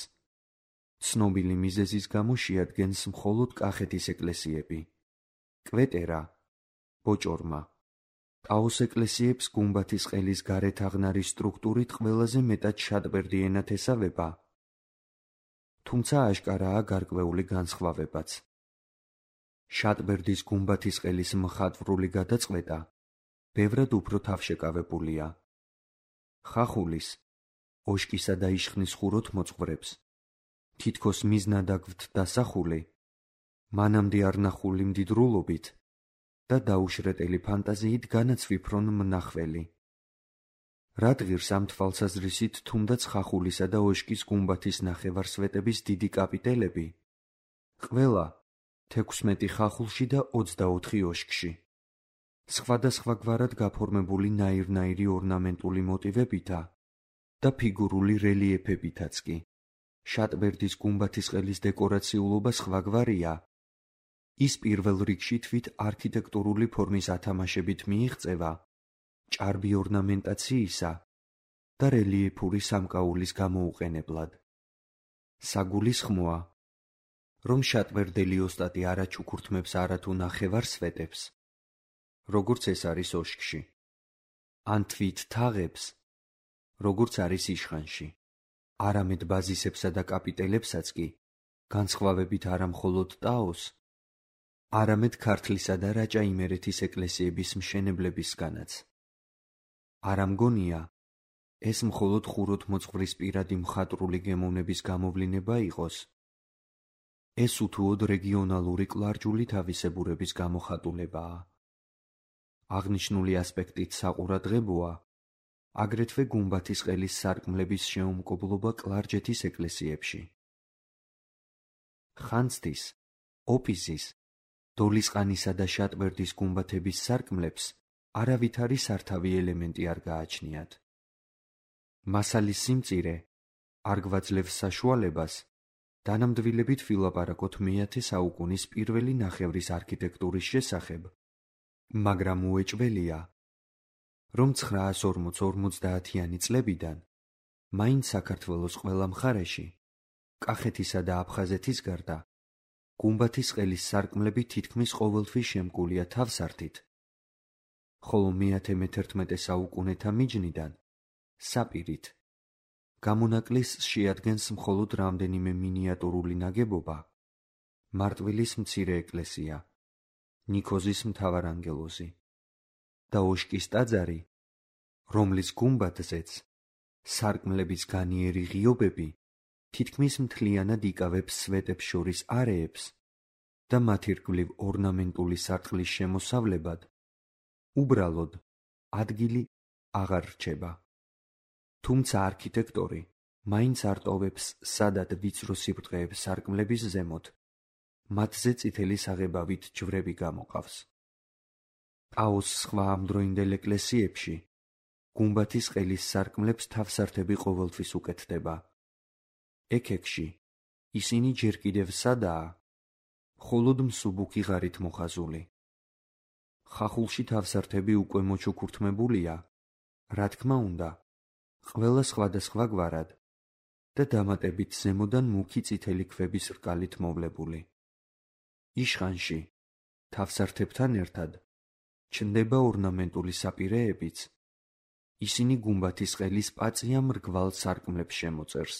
ცნობილი მიზეზის გამო შეადგენს მხოლოდ კახეთის ეკლესიები. კვეტერა, ბოჭორმა. ტაოს ეკლესიებს გუმბათის ყელის გარეთაღნარის სტრუქტურით ყველაზე მეტად შატბერდი ენათესავება, თუმცა აშკარაა გარკვეული განსხვავებაც. შატბერდის გუმბათის ყელის მხატვრული გადაწყვეტა ბევრად უფრო თავშეკავებულია. ხახულის, ოშკისა და იშხნის ხუროთ მოწყვრებს თითქოს მიზნად დასახული, მანამდე არნახული მდიდრულობით და დაუშრეტელი ფანტაზიით განაცვიფრონ მნახველი. რადგირს ამ თვალსაზრისით თუნდაც ხახულისა და ოშკის გუმბათის ნახევარსვეტების დიდი კაპიტელები, ყველა 16 ხახულში და 24 ოშკში. სხვადასხვაგვარად გაფორმებული ნაირ-ნაირი ორნამენტული მოტივებითა და ფიგურული რელიეფებითაც კი. შატბერდის გუმბათის ყელის დეკორაციულობა სხვაგვარია. ის პირველ რიგში თვით არქიტექტურული ფორმის ათამაშებით მიიღწევა ჭარბი ორნამენტაციისა და რელიეფური სამკაულის გამოუყენებლად. საგულისხმოა, რომ შატბერდელი ოსტატი არ აჩუქურთმებს არათუ ნახევარსვეტებს, როგორც ეს არის ოშკში, ან თვით თაღებს, როგორც არის იშხანში, არამედ ბაზისებსა და კაპიტელებსაც კი, განსხვავებით არა მხოლოდ ტაოს, არამედ ქართლისა და რაჭა-იმერეთის ეკლესიების მშენებლებისგანაც. არ ამგონია, ეს მხოლოდ ხუროთ მოწყვრის პირადი მხატვრული გემოვნების გამოვლინება იყოს. ეს უთუოდ რეგიონალური კლარჯული თავისებურების გამოხატულებაა. აღნიშნული ასპექტით საყურადღებოა აგრეთვე გუმბათის ყელის სარკმლების შეუმკობლობა კლარჯეთის ეკლესიებში. ხანძთის, ოპიზის, დოლისყანისა და შატბერდის გუმბათების სარკმლებს არავითარი სართავი ელემენტი არ გააჩნიათ. მასალის სიმწირე არ გვაძლევს საშუალებას დანამდვილებით ვილაპარაკოთ მე-10 საუკუნის პირველი ნახევრის არქიტექტურის შესახებ, მაგრამ უეჭველია, რომ 940-50-იანი წლებიდან მაინც საქართველოს ყველა მხარეში, კახეთისა და აფხაზეთის გარდა, გუმბათის ყელის სარკმლები თითქმის ყოველთვის შემკულია თავსართით, ხოლო მე-11 საუკუნეთა მიჯნიდან საპირით. გამონაკლისს შეადგენს მხოლოდ რამდენიმე მინიატურული ნაგებობა, მარტვილის მცირე ეკლესია, ნიქოზის მთავარანგელოზი და ოშკის ტაძარი, რომლის გუმბათზეც სარკმლების განიერი ღიობები თითქმის მთლიანად იკავებს სვეტებს შორის არეებს და მათ ირგვლივ ორნამენტული სარტყლის შემოსავლებად უბრალოდ ადგილი აღარ რჩება. თუმცა არქიტექტორი მაინც არ ტოვებს სადად ვიწრო სიბრტყეებს სარკმლების ზემოთ, მათზე წითელი საღებავით ჯვრები გამოყავს. ტაოს სხვა ამდროინდელ ეკლესიებში გუმბათის ყელის სარკმლებს თავსართები ყოველთვის უკეთდება. ექექში ისინი ჯერ კიდევ სადაა, მხოლოდ მსუბუქი ღარით მოხაზული. ხახულში თავსართები უკვე მოჩუქურთმებულია, რა თქმა უნდა, ყველა სხვადასხვა გვარად და დამატებით ზემოდან მუქი წითელი ქვების რკალით მოვლებული. იშხანში, თავსართებთან ერთად, ჩნდება ორნამენტული საპირეებიც, ისინი გუმბათის ყელის პაწია მრგვალ სარკმლებს შემოწერს.